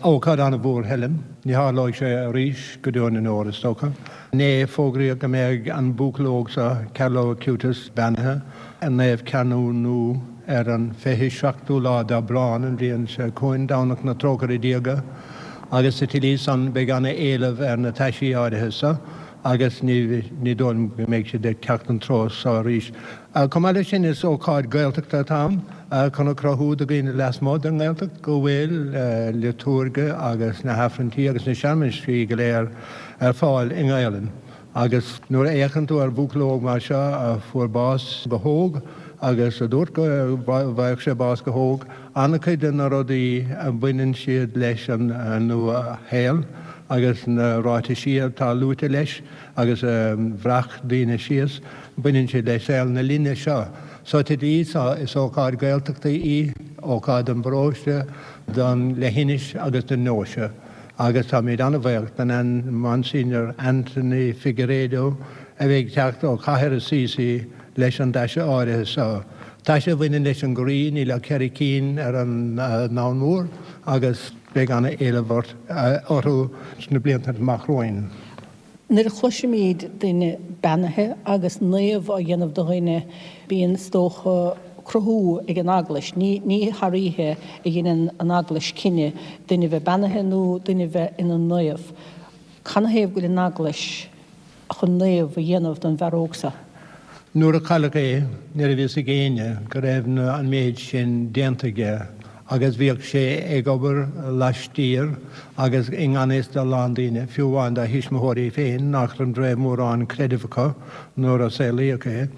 Ócáid an-mhór, Helen. Ní tharlóidh sé arís go deo na ndeor, is dócha. Inné, fógraíodh go mbeidh an buachaill óg seo, Carlo Acutis, beannaithe i Naomh Ceannúnú ar an 27ú lá d'Aibreán an bhliain seo chugainn, Domhnach na Trócaire Diaga. Agus sa tslí san beidh ana-éileamh ar na taisí áirithe so agus ní dóigh liom go mbeidh siad ag teacht an treo so arís. Chomh maith leis sin is ócáid Gaeltachta atá ann chun a chruthú do dhaoine lasmuigh den nGaeltacht go bhfuil liotúirge agus na hAifrinntí agus na searmaisí go léir ar fáil i nGaelainn. Agus nuair a fhéachann tú ar bhuachaill óg mar seo a fuair bás go hóg agus a dúirt go bhfaigheadh sé bás go hóg, an-chuid de na rudaí a bhaineann siad leis an nua-shaol agus na ráitisí atá luaite leis agus a bhreac daoine síos, baineann siad le saol na linne seo. So sa tslí so, is ócáid Gaeltachta í, ócáid don bparóiste, don leithinis agus don ndeoise. Agus táimid an-bhaoch den Monsignor Anthony Figueiredo a bheidh ag teacht ó chathair Assisi leis an dtaise áirithe seo. Taise a bhaineann leis an gcroí, níl ach cheithre cinn ar an ndomhan mór agus beidh an-éileamh orthu sna blianta amach romhainn. Nuair a chloisimid duine beannaithe agus naomh á dhéanamh de dhuine, bíonn, is dócha, cruthú ag an Eaglais. Ní ní thar oíche a dheineann an Eaglais cinneadh duine bheith beannaithe nó duine bheith ina naomh. Canathaobh go bhfuil an Eaglais chun naomh a dhéanamh den bhfear óg seo? Nuair a cailleadh é, ní raibh fhios ag éinne go raibh an méid sin déanta aige agus bhíodh sé ag obair laistiar agus i ngan fhios do a lán daoine, fiú amháin dá thuismitheoirí féin, nach raibh mórán creidimh acu nuair a saolaíodh é.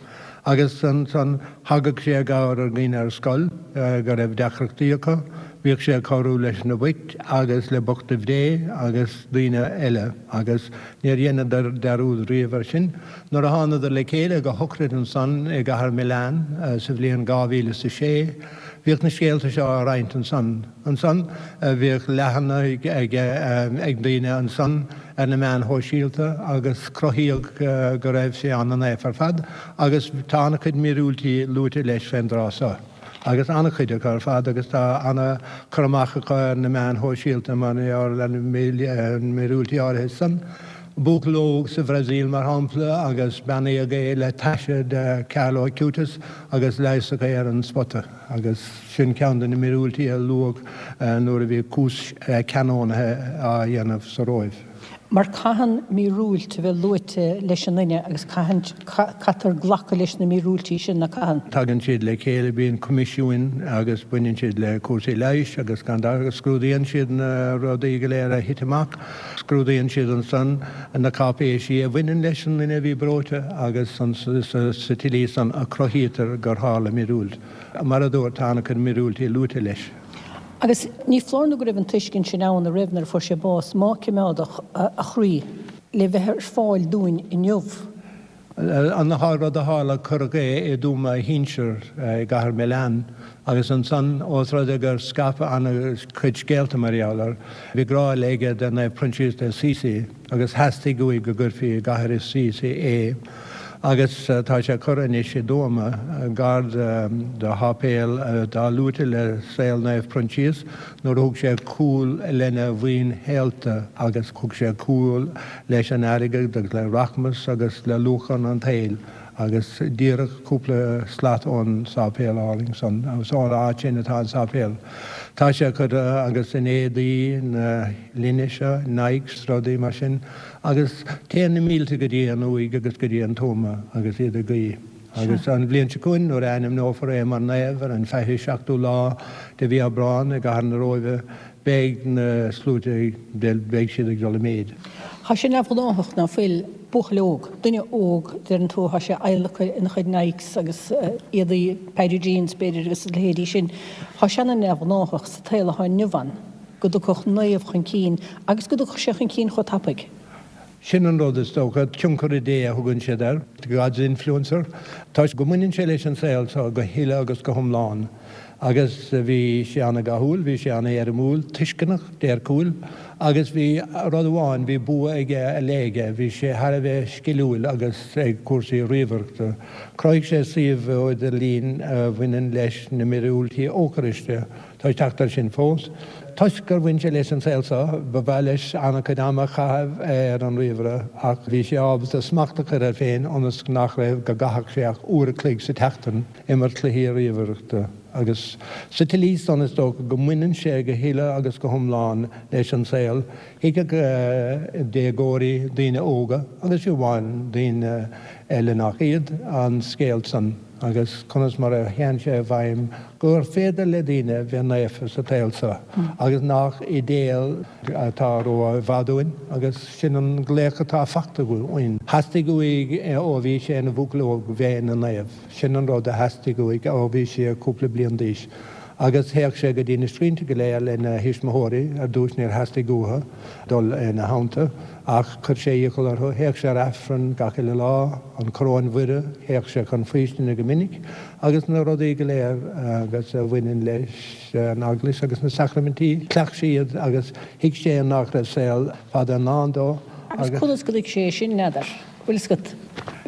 Agus ansan thagadh sé i gcabhair ar dhaoine ar scoil go raibh deacrachtaí acu, bhíodh sé ag cabhrú leis na boicht agus le bochtaibh Dé agus daoine eile agus níor dheineadar dearúd riamh air sin. Nuair a thánadar le chéile go shochraid ansan i gcathair Milan sa bhliain 2006, bhíodh na scéalta seo á roinnt ansan. Ansan bhíodh leathanaigh ag daoine ansan ar na meáin shóisialta agus cruthaíodh go raibh sé ana-naofa ar fad agus tá an-chuid míorúiltí luaite leis fén dtráth so. Agus an-chuid acu ar fad agus tá an-chur amach acu ar na meáin shóisialta mar gheall ar na míorúiltí áirithe san. Buachaill óg sa Bhrasaíl, mar shampla, agus beannaíodh é le taise de Carlo Acutis agus leigheasadh é ar an spota. Agus sin ceann de na míorúiltí a luadh nuair a bhí cúis canónaithe á dhéanamh sa Róimh. Mar caitheann míorúilt a bheith luaite leis an nduine agus caitheann, caitear glacadh leis na míorúiltí sin, nach gcaitheann? Tagann siad le chéile, bíonn coimisiúin agus baineann siad le cúrsaí leighis agus gan dabht agus scrúdaíonn siad na rudaí go léir a thit amach. Scrúdaíonn siad ansan na cáipéisí a bhaineann leis an nduine a bhí breoite agus sa tslí san a cruthaítear gur tharla míorúilt. Mar a dúirt, tá an-chuid míorúiltí luaite leis. Agus ní foláir nó go raibh an tuiscint sin ann, an raibh, nuair a fuair sé bás, má cimeádadh a chroí le bheith ar fáil dúinn inniu. An rud a tharla, cuireadh é i dtuama a shinsir i gcathair Milan agus ansan, ós rud é gur scaipeadh an-chuid scéalta mar gheall air, bhí grá aige do Naomh Proinsias de Assisi agus theastaigh uaidh go gcuirfí i gcathair Assisi é agus tá sé curtha anois i dtuama gar do sháipéal atá luaite le saol Naomh Proinsias nuair a thug sé cúl lena mhaoin shaolta agus thug sé cúl leis an airgead agus le rachmas agus le luachan an tsaoil agus díreach cúpla slat ón sáipéal álainn san, agus ón áit sin atá an sáipéal. Tá sé curtha agus in éadaí na linne seo, Nikes, rudaí mar sin, agus téann na mílte go dtí an uaigh agus go dtí an tuama agus iad ag guí. Agus an bhliain seo chugainn, nuair a ainmneofar é mar naomh ar an 27ú lá de mhí Aibreán i gcathair na Róimhe, beidh na sluaite, beidh siad ag dul i méid. Tá sé neamhghnáthach ná fuil buachaill óg, duine óg, deireann tú, tá sé adhlactha ina chuid Nikes agus éadaí Paddy Jeans, b'fhéidir, agus a leithéidí sin. Tá sé ana-neamhghnáthach sa tsaol atá inniu ann go dtiocfadh naomh chun cinn agus go dtiocfadh sé chun cinn chomh tapaidh. Sin an rud is dócha, tionchaire Dé a thugann siad air, God's influencer, toisc go mbaineann sé leis an saol seo go huile agus go hiomlán. Agus bhí sé an-dhathúil, bhí sé an-éirimiúil, tuisceanach, déirciúil, agus bhí rud amháin, bhí bua aige ar leith aige, bhí sé thar a bheith sciliúil agus ag cúrsaí ríomhaireachta. Chruthaigh sé suíomh idirlín a bhaineann leis na míorúiltí Eocairiste. Tá ag teacht air sin fós. Toisc gur bhain sé leis an saol seo, ba mhaith leis an-chuid ama a chaitheamh ar an ríomhaire ach bhí sé ábalta smacht a chur air féin ionas nach raibh, go gcaithfeadh sé ach uair a chloig sa tseachtain imirt cluichí ríomhaireachta. Agus sa tslí san is dócha go mbaineann sé go huile agus go hiomlán leis an saol. Thuigfeadh déagóirí, daoine óga agus fiú amháin daoine eile nach iad, an scéal san. agus conas mar a théann sé i bhfeidhm gur féidir le daoine bheith naofa sa tsaol seo agus nach idéal atá ró i bhfad uainn agus sin an glaoch atá fachta uainn. Theastaigh uaidh ó bhí sé ina bhuachaill óg bheith ina naomh. Sin an rud a theastaigh uaidh ó bhí sé cúpla bliain d'aois. Agus théadh sé go dtí na scrínte go léir lena thuismitheoirí, ar dtús níor theastaigh uathu dul ina theannta, ach chuir sé iachall orthu. Théadh sé ar Aifreann gach uile lá, an Choróin Mhuire, théadh sé chun faoistine go minic, agus na rudaí go léir agus a bhaineann leis an Eaglais agus na sacraimintí, chleacht sé iad agus thuig sé nach raibh saol fada i ndán dó. Agus conas go dtuig sé é sin, n'fheadar? Bhfuil fhios agat?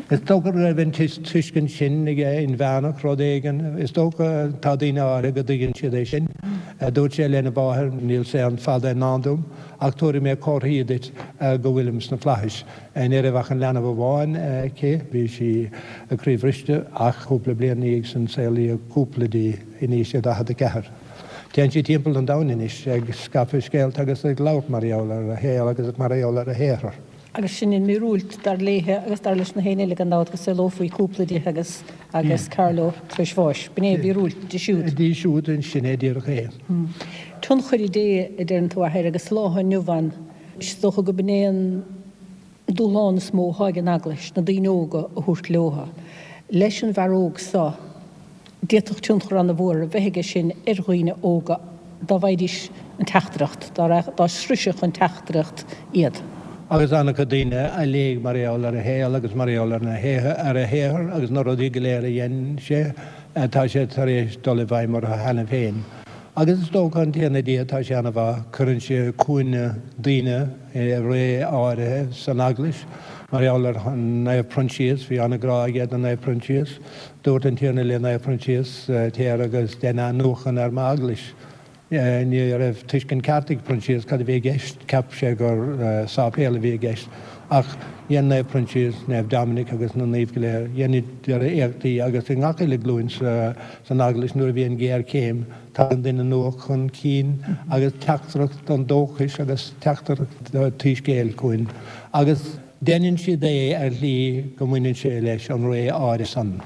Is dócha go raibh an tuiscint sin aige inmheánach, rud éigin. Is dócha, tá daoine áirithe go dtuigeann siad é sin. Dúirt sé lena mháthair, Níl saol fada i ndán dom, ach tabharfaidh mé comharthaí duit go bhfuilim sna flaithis. Ní raibh ach an leanbh amháin aici, bhí sí croíbhriste, ach cúpla bliain ina dhiaidh sin saolaíodh cúpla di in aois a 44. Téann sí timpeall an domhain anois ag scaipeadh scéalta agus ag labhairt mar gheall ar a shaol agus mar gheall ar a shaothar. Agus sin an mhíorúilt, dar léithe agus dar leis na héinne eile gan dabht, go saolófaí cúpla di agus agus Carlo tar éis bháis. B'in é a mhíorúilt di siúd. Di siúd, sin é díreach é. Tionchar Dé, a deireann tú, a Athair, agus sa lá atá inniu ann, is dócha go b'in é an dúshlán is mó atá ag an Eaglais, na daoine óga a thabhairt leotha. Leis an bhfear óg so, D'fhéadfadh tionchar an-mhór a bheith aige sin ar dhaoine óga dá bhfaighidís an teachtaireacht, dá sroisfeadh an teachtaireacht iad. Agus an-chuid daoine a léigh mar gheall ar a shaol agus mar gheall ar a shaothar agus na rudaí go léir a dhein sé, tá sé tar éis dul i bhfeidhm orthu cheana féin. Agus is dócha, an Tiarna Dia, tá sé an-mhaith, cuireann sé chugainne daoine i ré áirithe san Eaglais, mar gheall ar Naomh Proinsias, bhí an-ghrá aige do Naomh Proinsias. Dúirt an Tiarna le Naomh Proinsias, Téir agus dein athnuachan ar m'eaglais. Ní raibh tuiscint ceart ag Proinsias cad a bhí i gceist, cheap sé gur sáipéal a bhí i gceist. Ach dhein Naomh Proinsias, Naomh Dominic agus na naoimh go léir, dheineadar éachtaí agus i ngach uile glúin san eaglais nuair a bhíonn géarchéim, tagann duine nua chun cinn agus teachtaireacht an dóchais agus teachtaireacht an tsoiscéil chugainn. Agus. Deineann siad é ar shlí go mbaineann sé leis an ré áirithe san.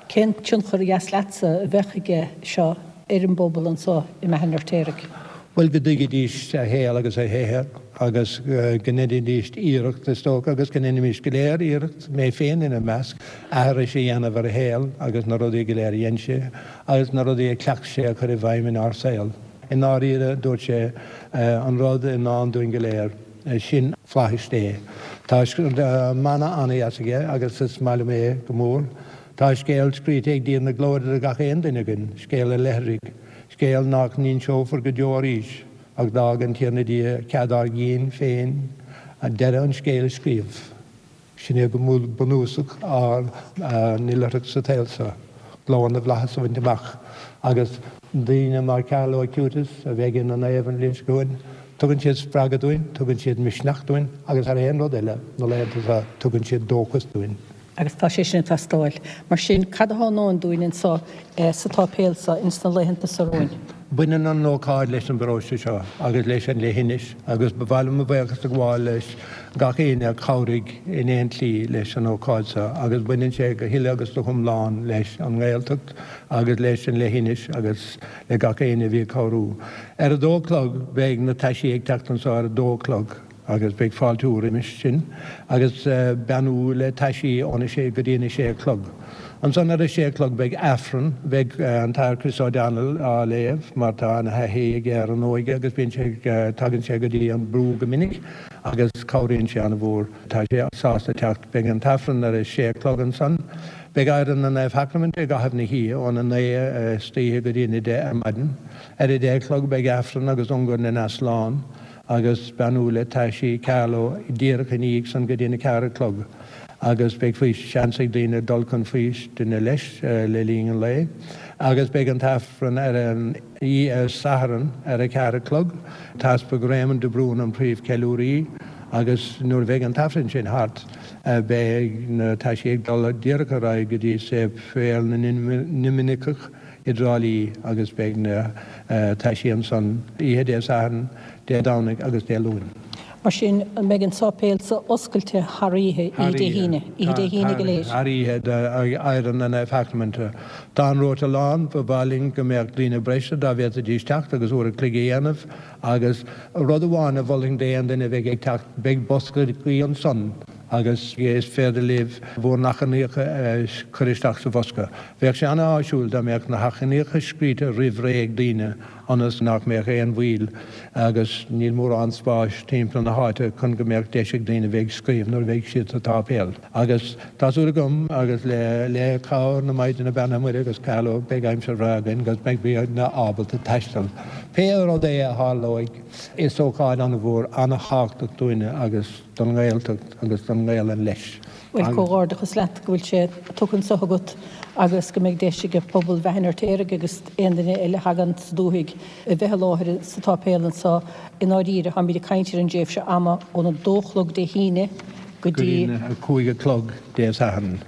Cén tionchar a dheas leatsa a bheadh aige seo ar an bpobal anso i mBeatha an Fheirtéaraigh? Bhuel, go dtuigfidís a shaol agus a shaothar agus go ndeinidís iarracht, is dócha, agus go ndeinimís go léir iarracht, mé féin ina measc, aithris a dhéanamh ar a shaol agus na rudaí go léir a dhein sé agus na rudaí a chleacht sé a chur i bhfeidhm inár saol. I ndáiríre, dúirt sé, an rud i ndán dúinn go léir. Sin flaithis Dé. Tá mana an-dheas aige agus is maith liom é go mór. Tá scéal scríte ag Dia na Glóire do gach aon duine againn, scéal an oilithrigh, scéal nach n-inseofar go deo arís, ach d'fhág an Tiarna Dia cead ár gcinn féin deireadh an scéil a scríobh. Sin é go bunúsach ár n-oilithreacht sa tsaol seo, glóir na bhflaitheas a bhaint amach. Agus daoine mar Carlo Acutis, a bheidh ina naomh an bhliain seo chugainn, tugann siad spreagadh dúinn, tugann siad misneach dúinn agus thar aon rud eile, na laethanta seo, tugann siad dóchas dúinn. Agus tá sé sin ag teastáil. Mar sin, cad atá i ndán dúinn anso sa tsáipéal seo ins na laethanta seo romhainn? Baineann an ócáid leis an bparóiste seo agus leis an leithinis agus ba mhaith liom mo bhuíochas a ghabháil leis gach éinne a chabhraigh in aon tslí leis an ócáid seo agus baineann sé go huile agus go hiomlán leis an nGaeltacht agus leis an leithinis agus le gach éinne a bhí ag cabhrú. Ar a dó a chlog beidh na taisí ag teacht anseo ar a dó a chlog. agus beidh fáiltiú roimis sin agus beannú le taisí óna sé go dtí an a sé a chlog. Ansan ar a sé a chlog beidh Aifreann, beidh an tAthair Chris O'Donnell á léamh mar tá ana-thaithí aige ar an óige agus bíonn sé ag, tagann sé go dtí an brú go minic agus cabhraíonn sé ana-mhór. Tá sé sásta teacht. Beidh an tAifreann ar a sé a chlog ansan. Beidh adhradh na Naomhshacraiminte i gcaitheamh na hoíche óna naoi istoíche go dtí an a deich ar maidin. Ar a deich a chlog beidh Aifreann agus Ungáir na nEaslán. agus beannú le taisí Carlo díreach ina dhiaidh san go dtí an 4 a chlog agus beidh faoi seans ag daoine dul chun faoistine leis le linn an lae agus beidh an tAifreann ar an oíche Satharn ar a 4 a chlog. An tEaspag Réamonn de Brún an príomh ceiliúraí agus nuair a bheidh an tAifreann sin thart beidh na taisí ag dul díreach ar aghaidh go dtí Séipéal na nDoiminiceach i dTrá Lí agus beidh na taisí ansan oíche Dé Sathairn, Dé Domhnaigh agus Dé Luain. Mar sin, an mbeidh an sáipéal so oscailte thar oíche, oíche Dé hAoine, oíche Dé hAoine go léir? Thar oíche d'adhradh na Naomhshacraiminte. Tá an rota lán, ba mhaith linn go mbeadh daoine breise dá bhféadfaidís teacht agus uair a chloig a dhéanamh agus rud amháin a mholfainn d'aon duine a bheidh ag teacht, beidh boscaí ansan. Agus is féidir libh bhur n-achainíocha a chur isteach sa bhosca. Bheadh sé an-áisiúil dá mbeadh na hachainíocha scríte roimh ré ag daoine ionas nach mbeadh aon mhoill agus níl mórán spáis timpeall na háite chun go mbeadh deis ag daoine bheith ag scríobh nuair a bheidh siad sa tsáipéal. Agus tá súil agam, agus le le cabhair na Maighdine Beannaithe Muire agus Carlow, beidh aimsir bhreá againn agus beidh daoine ábalta taisteal. Pé rud é a tharlóidh, is ócáid an-mhór, an-thábhachtach dúinne agus. don nGaeltacht agus don nGaelainn leis. Bhuel, comhghairdeachas leat go bhfuil sé tugtha anso agat agus go mbeidh deis ag pobal Bheatha an Fheirtéaraigh agus aon duine eile a thagann sa dúthaigh a bheith i láthair sa tsáipéal anso. I ndáiríre, táimid ag caint ar an dtréimhse ama óna dó a chlog Dé hAoine go dtí. a 5 a chlog Dé Sathairn.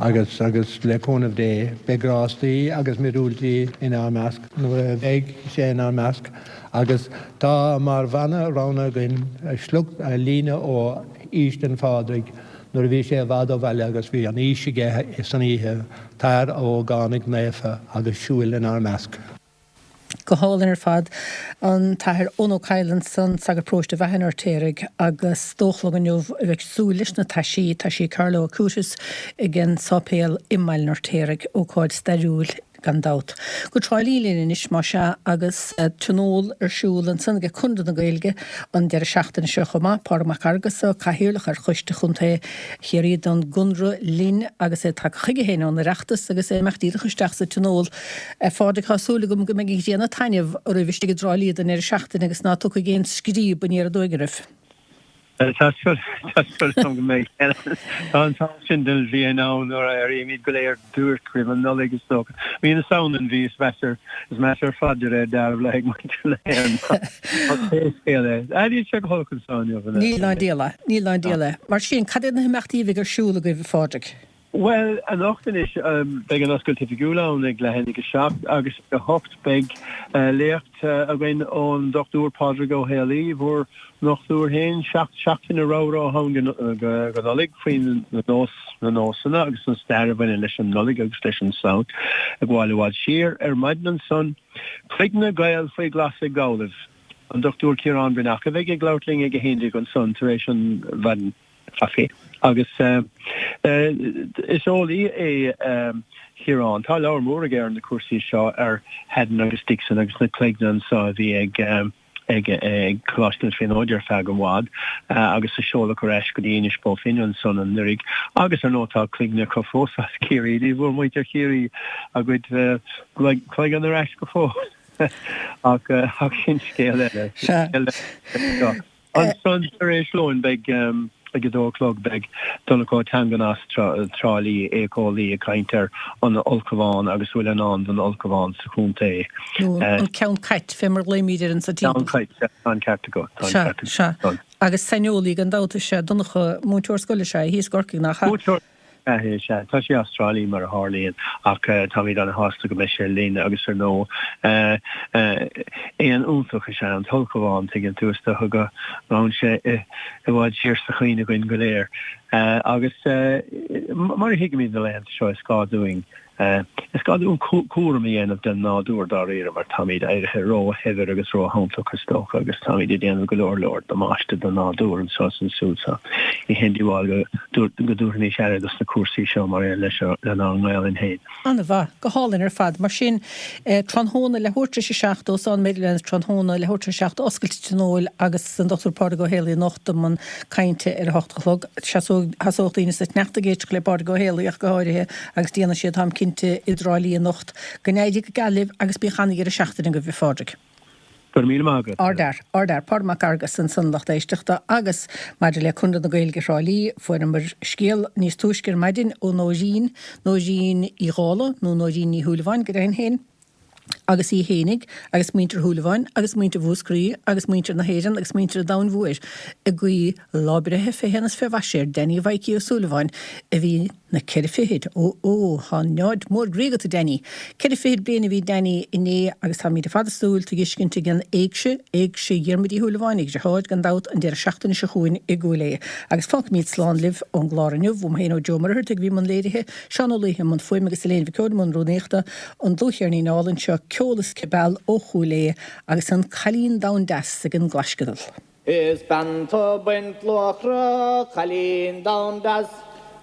Agus, agus le cúnamh Dé, beidh grástaí agus míorúiltí inár measc nuair a bheidh sé inár measc. Agus tá mar mhana roghnaithe againn sliocht, líne ó Fhaoistin Phádraig nuair a bhí sé i bhfad ó bhaile agus bhí an fhís aige san oíche, Tar, a ógánaigh naofa, agus siúil inár measc. Go hálainn ar fad. An tAthair Eoin Ó Cadhla ansan, sagart paróiste Bheatha an Fheirtéaraigh, agus dó a chlog inniu a bheidh súil leis na taisí, taisí Carlo Acutis ag an sáipéal i mBaile an Fheirtéaraigh. Ócáid stairiúil gan dabht. Go Trá Lí linn anois más ea agus tionól ar siúl ansan ag Conradh na Gaeilge an deireadh seachtaine seo chomh maith. Pádraig Mac Fhearghusa, Cathaoirleach ar Choiste Chontae Chiarraí don gConradh linn agus é tagtha chuige féin ón Oireachtas agus é ag imeacht díreach isteach sa tionól. A Phádraig, tá súil agam go mbeidh an ghrian ag taitneamh oraibh istigh i dTrá Lí don ndeireadh seachtaine agus ná tiocfaidh aon scríob aniar aduaidh oraibh. Tá súil agam go mbeidh. Tá an t-am sin den bhliain ann nuair a éirímid go léir duairc roimh an Nollaig is dócha. Mí na Samhna an mhí is measa is measa ar fad de réir dealraimh le haghaidh muintir na hÉireann. Ach pé scéal é, níl sé go holc anseo inniu. Níl ná diabhal é. Níl ná diabhal é. Mar sin, cad iad na himeachtaí a bheidh ar siúl agaibh, a Phádraig? Bhuel, anocht anois, beidh an oscailt oifigiúil ann ag leath i ndiaidh a 7 agus ag a 8 beidh léacht againn ón Dr Pádraig Ó Héalaí, bhur ndochtúir féin, seacht seachtaine ramhra ó shin go Nollaig faoi na nós, na nósanna agus an stair a bhaineann leis an Nollaig agus leis an Samhain ag gabháil i bhfad siar. Ar maidin ansan, Cloigne Gael faoi ghlas ag Gallaibh. An Dr Ciarán Breathnach a bheidh ag labhairt linn ag a 11 ansan tar éis an mhaidin. Chaife. Agus is eolaí é Ciarán. Tá leabhar mór aige ar na cúrsaí seo, ar Headdon agus Dixon agus na cloigne anso a bhí ag ag Coláiste na Tríonóide ar feadh i bhfad agus a seoladh ar ais go dtí Inis Bó Finne ansan anuraidh. Agus ar ndóigh tá cloigne acu fós as Ciarraí. Ní bhfuair muintir Chiarraí a gcuid cloigeann ar ais go fóill. Ach sin scéal eile. Ansan tar éis lóin beidh, ag a dó a chlog, beidh Donncha Ó Teangan as Trá Lí, éiceolaí, ag caint ar an ulchabhán agus a bhfuil i ndán don ulchabhán sa chontae. Nó an ceann cait, fé mar a ghlaoimid air anso timpeall. Ceann cait, sea, tá an ceart agat, tá an ceart agat. Sea, sea. Agus saineolaí gan dabht is ea Donncha, múinteoir scoile is ea é thíos i gCorcaigh, nach ea? Múinteoir Sea, sea. Tá sé as Trá Lí mar a tharlaíonn ach táimid ana-shásta go mbeidh sé linn agus ar ndóigh éan iontach is ea an t-ulchabhán, tuigeann tú, is dócha go ngabhann sé i bhfad siar sa chuimhne againn go léir. Agus mar a thuigimid na laethanta seo is gá dúinn Is gá dúinn cúram a dhéanamh den nádúr dáiríre mar táimid éirithe róshaibhir agus róshantach is dócha agus táimid ag déanamh go leor leor damáiste don nádúr anseo is ansiúd so ní haon díobháil go dtabharfaimis aire dos na cúrsaí seo mar aon leis lenár nGaelainn féin. An-mhaith. Go hálainn ar fad. Mar sin, tráthnóna, leathuair tar éis a 7, Óstán Meadowlands tráthnóna, leathuair tar éis a 7, oscailt tionóil agus an Dr Pádraig Ó Héalaí anocht i mbun cainte ar a hocht a chlog. Shasódh daoine sa tsneachta ag éisteacht le Pádraig Ó Héalaí ach go háirithe agus déanfaidh siad, táim cinnte, i dTrá Lí anocht. Go n-éirí go geal libh agus bíodh an-dheireadh seachtaine agaibh, a Phádraig. Go raibh míle maith agat. Ardfhear, ardfhear. Pádraig Mac Fheargusa ansan, lucht éisteachta, agus maidir le Conradh na Gaeilge Thrá Lí, fuaireamar scéal níos túisce ar maidin ó Nóirín, Nóirín Uí Dhálaigh, nó Nóirín Ní Shúilleabháin go deimhin féin, agus í fhéinig agus muintir Shúilleabháin agus muintir Mhúscraí agus muintir na hÉireann agus muintir an domhain mhóir ag guí lá breithe fé shéan is fé mhaise ar Danny Mhaidhcí Ó Súilleabháin a bhí na ceithre fichid, ó ó, tá neáid mór groí agat a Danny! Ceithre fichid bliain a bhí Danny inné agus táimíd ar fad ag súil tuiscint ag an éigse, éigse Dhiarmuid Uí Shúilleabháin, a dheartháir gan dabht, an deireadh seachtaine seo chugainn i gCúil Aodha. Agus fágfaimíd slán libh ón gclár inniu, uaim féin ó Joe Ó Muircheartaigh a bhí i mbun léirithe, Seán Ó Laoithe i mbun fuaime agus Elaine Mhic Eoin i mbun rúnaíochta, an dlúthcheirnín álainn seo, Ceol is Cibeal ó Chúil Aodha agus an Cailín Donn Deas ag an gclaisceadal. Is bean tú baint luachra, a chailín donn deas.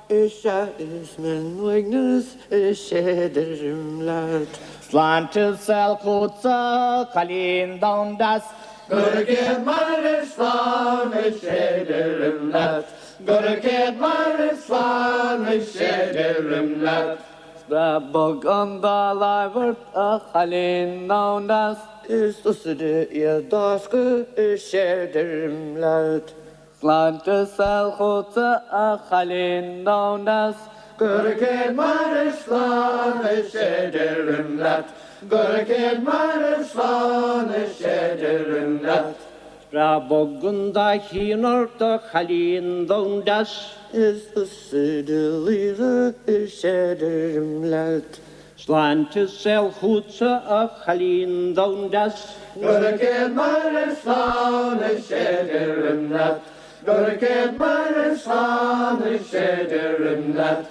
Is ea is mé uaigneas is é deirim leat. Sláinte is saol chugatsa, a chailín donn deas. Gura céad maire slán is é deirim leat. Gura céad maire slán is é deirim leat. Is breá bog an dá láimh ort, a chailín donn deas. Is tusa iad d'fháscadh is é deirim leat. Sláinte is saol chugatsa, a chailín donn deas. Gura céad maire slán is é deirim leat. Gura céad maire slán is é deirim leat. Is breá bog an dá chionn ort, a chailín donn deas. Is tusa do laoire is é deirim leat. Sláinte is saol chugatsa, a chailín donn deas. Gura céad maire slán is é deirim leat. Gura céad maire slán is é deirim leat.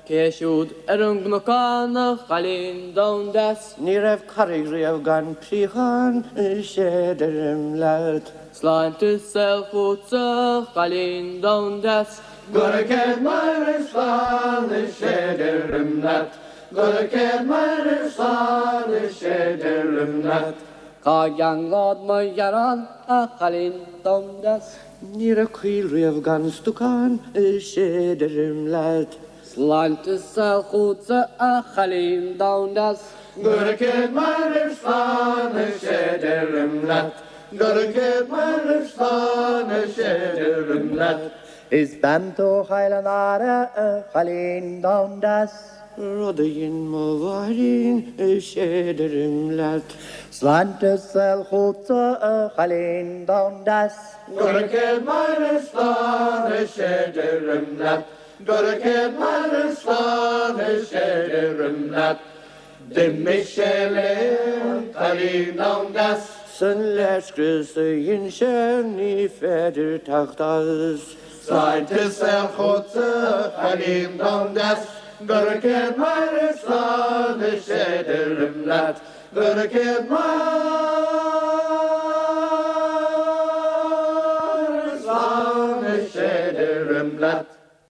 Cé siúd ar an gcnocán, a chailín donn deas? Ní raibh carraig riamh gan príochán, is é deirim leat. Sláinte is saol chugatsa, a chailín donn deas. Gura céad maire slán is é deirim leat. Gura céad maire slán is é deirim leat. Cá gceanglód mo ghearán, a chailín donn deas? Ní raibh coill riamh gan stuacán, is é deirim leat. Sláinte is saol chugatsa, a chailín donn deas. Gura céad maire slán is é deirim leat. Gura céad maire slán is é deirim leat. Is bean tú Chill an Aire, a chailín donn deas. Rud a dhein mo mháithrín, is é deirim leat. Sláinte is saol chugatsa, a chailín donn deas. Gura céad maire slán, is é deirim leat. Gura céad maire slán, is é deirim leat. D'imigh sé léi an cailín donn deas. 'S an léirscrios a dhein sé ní féidir teacht as. Sláinte is saol chugatsa, a chailín donn deas. Gura céad maire slán is é deirim leat. Gura céad maire.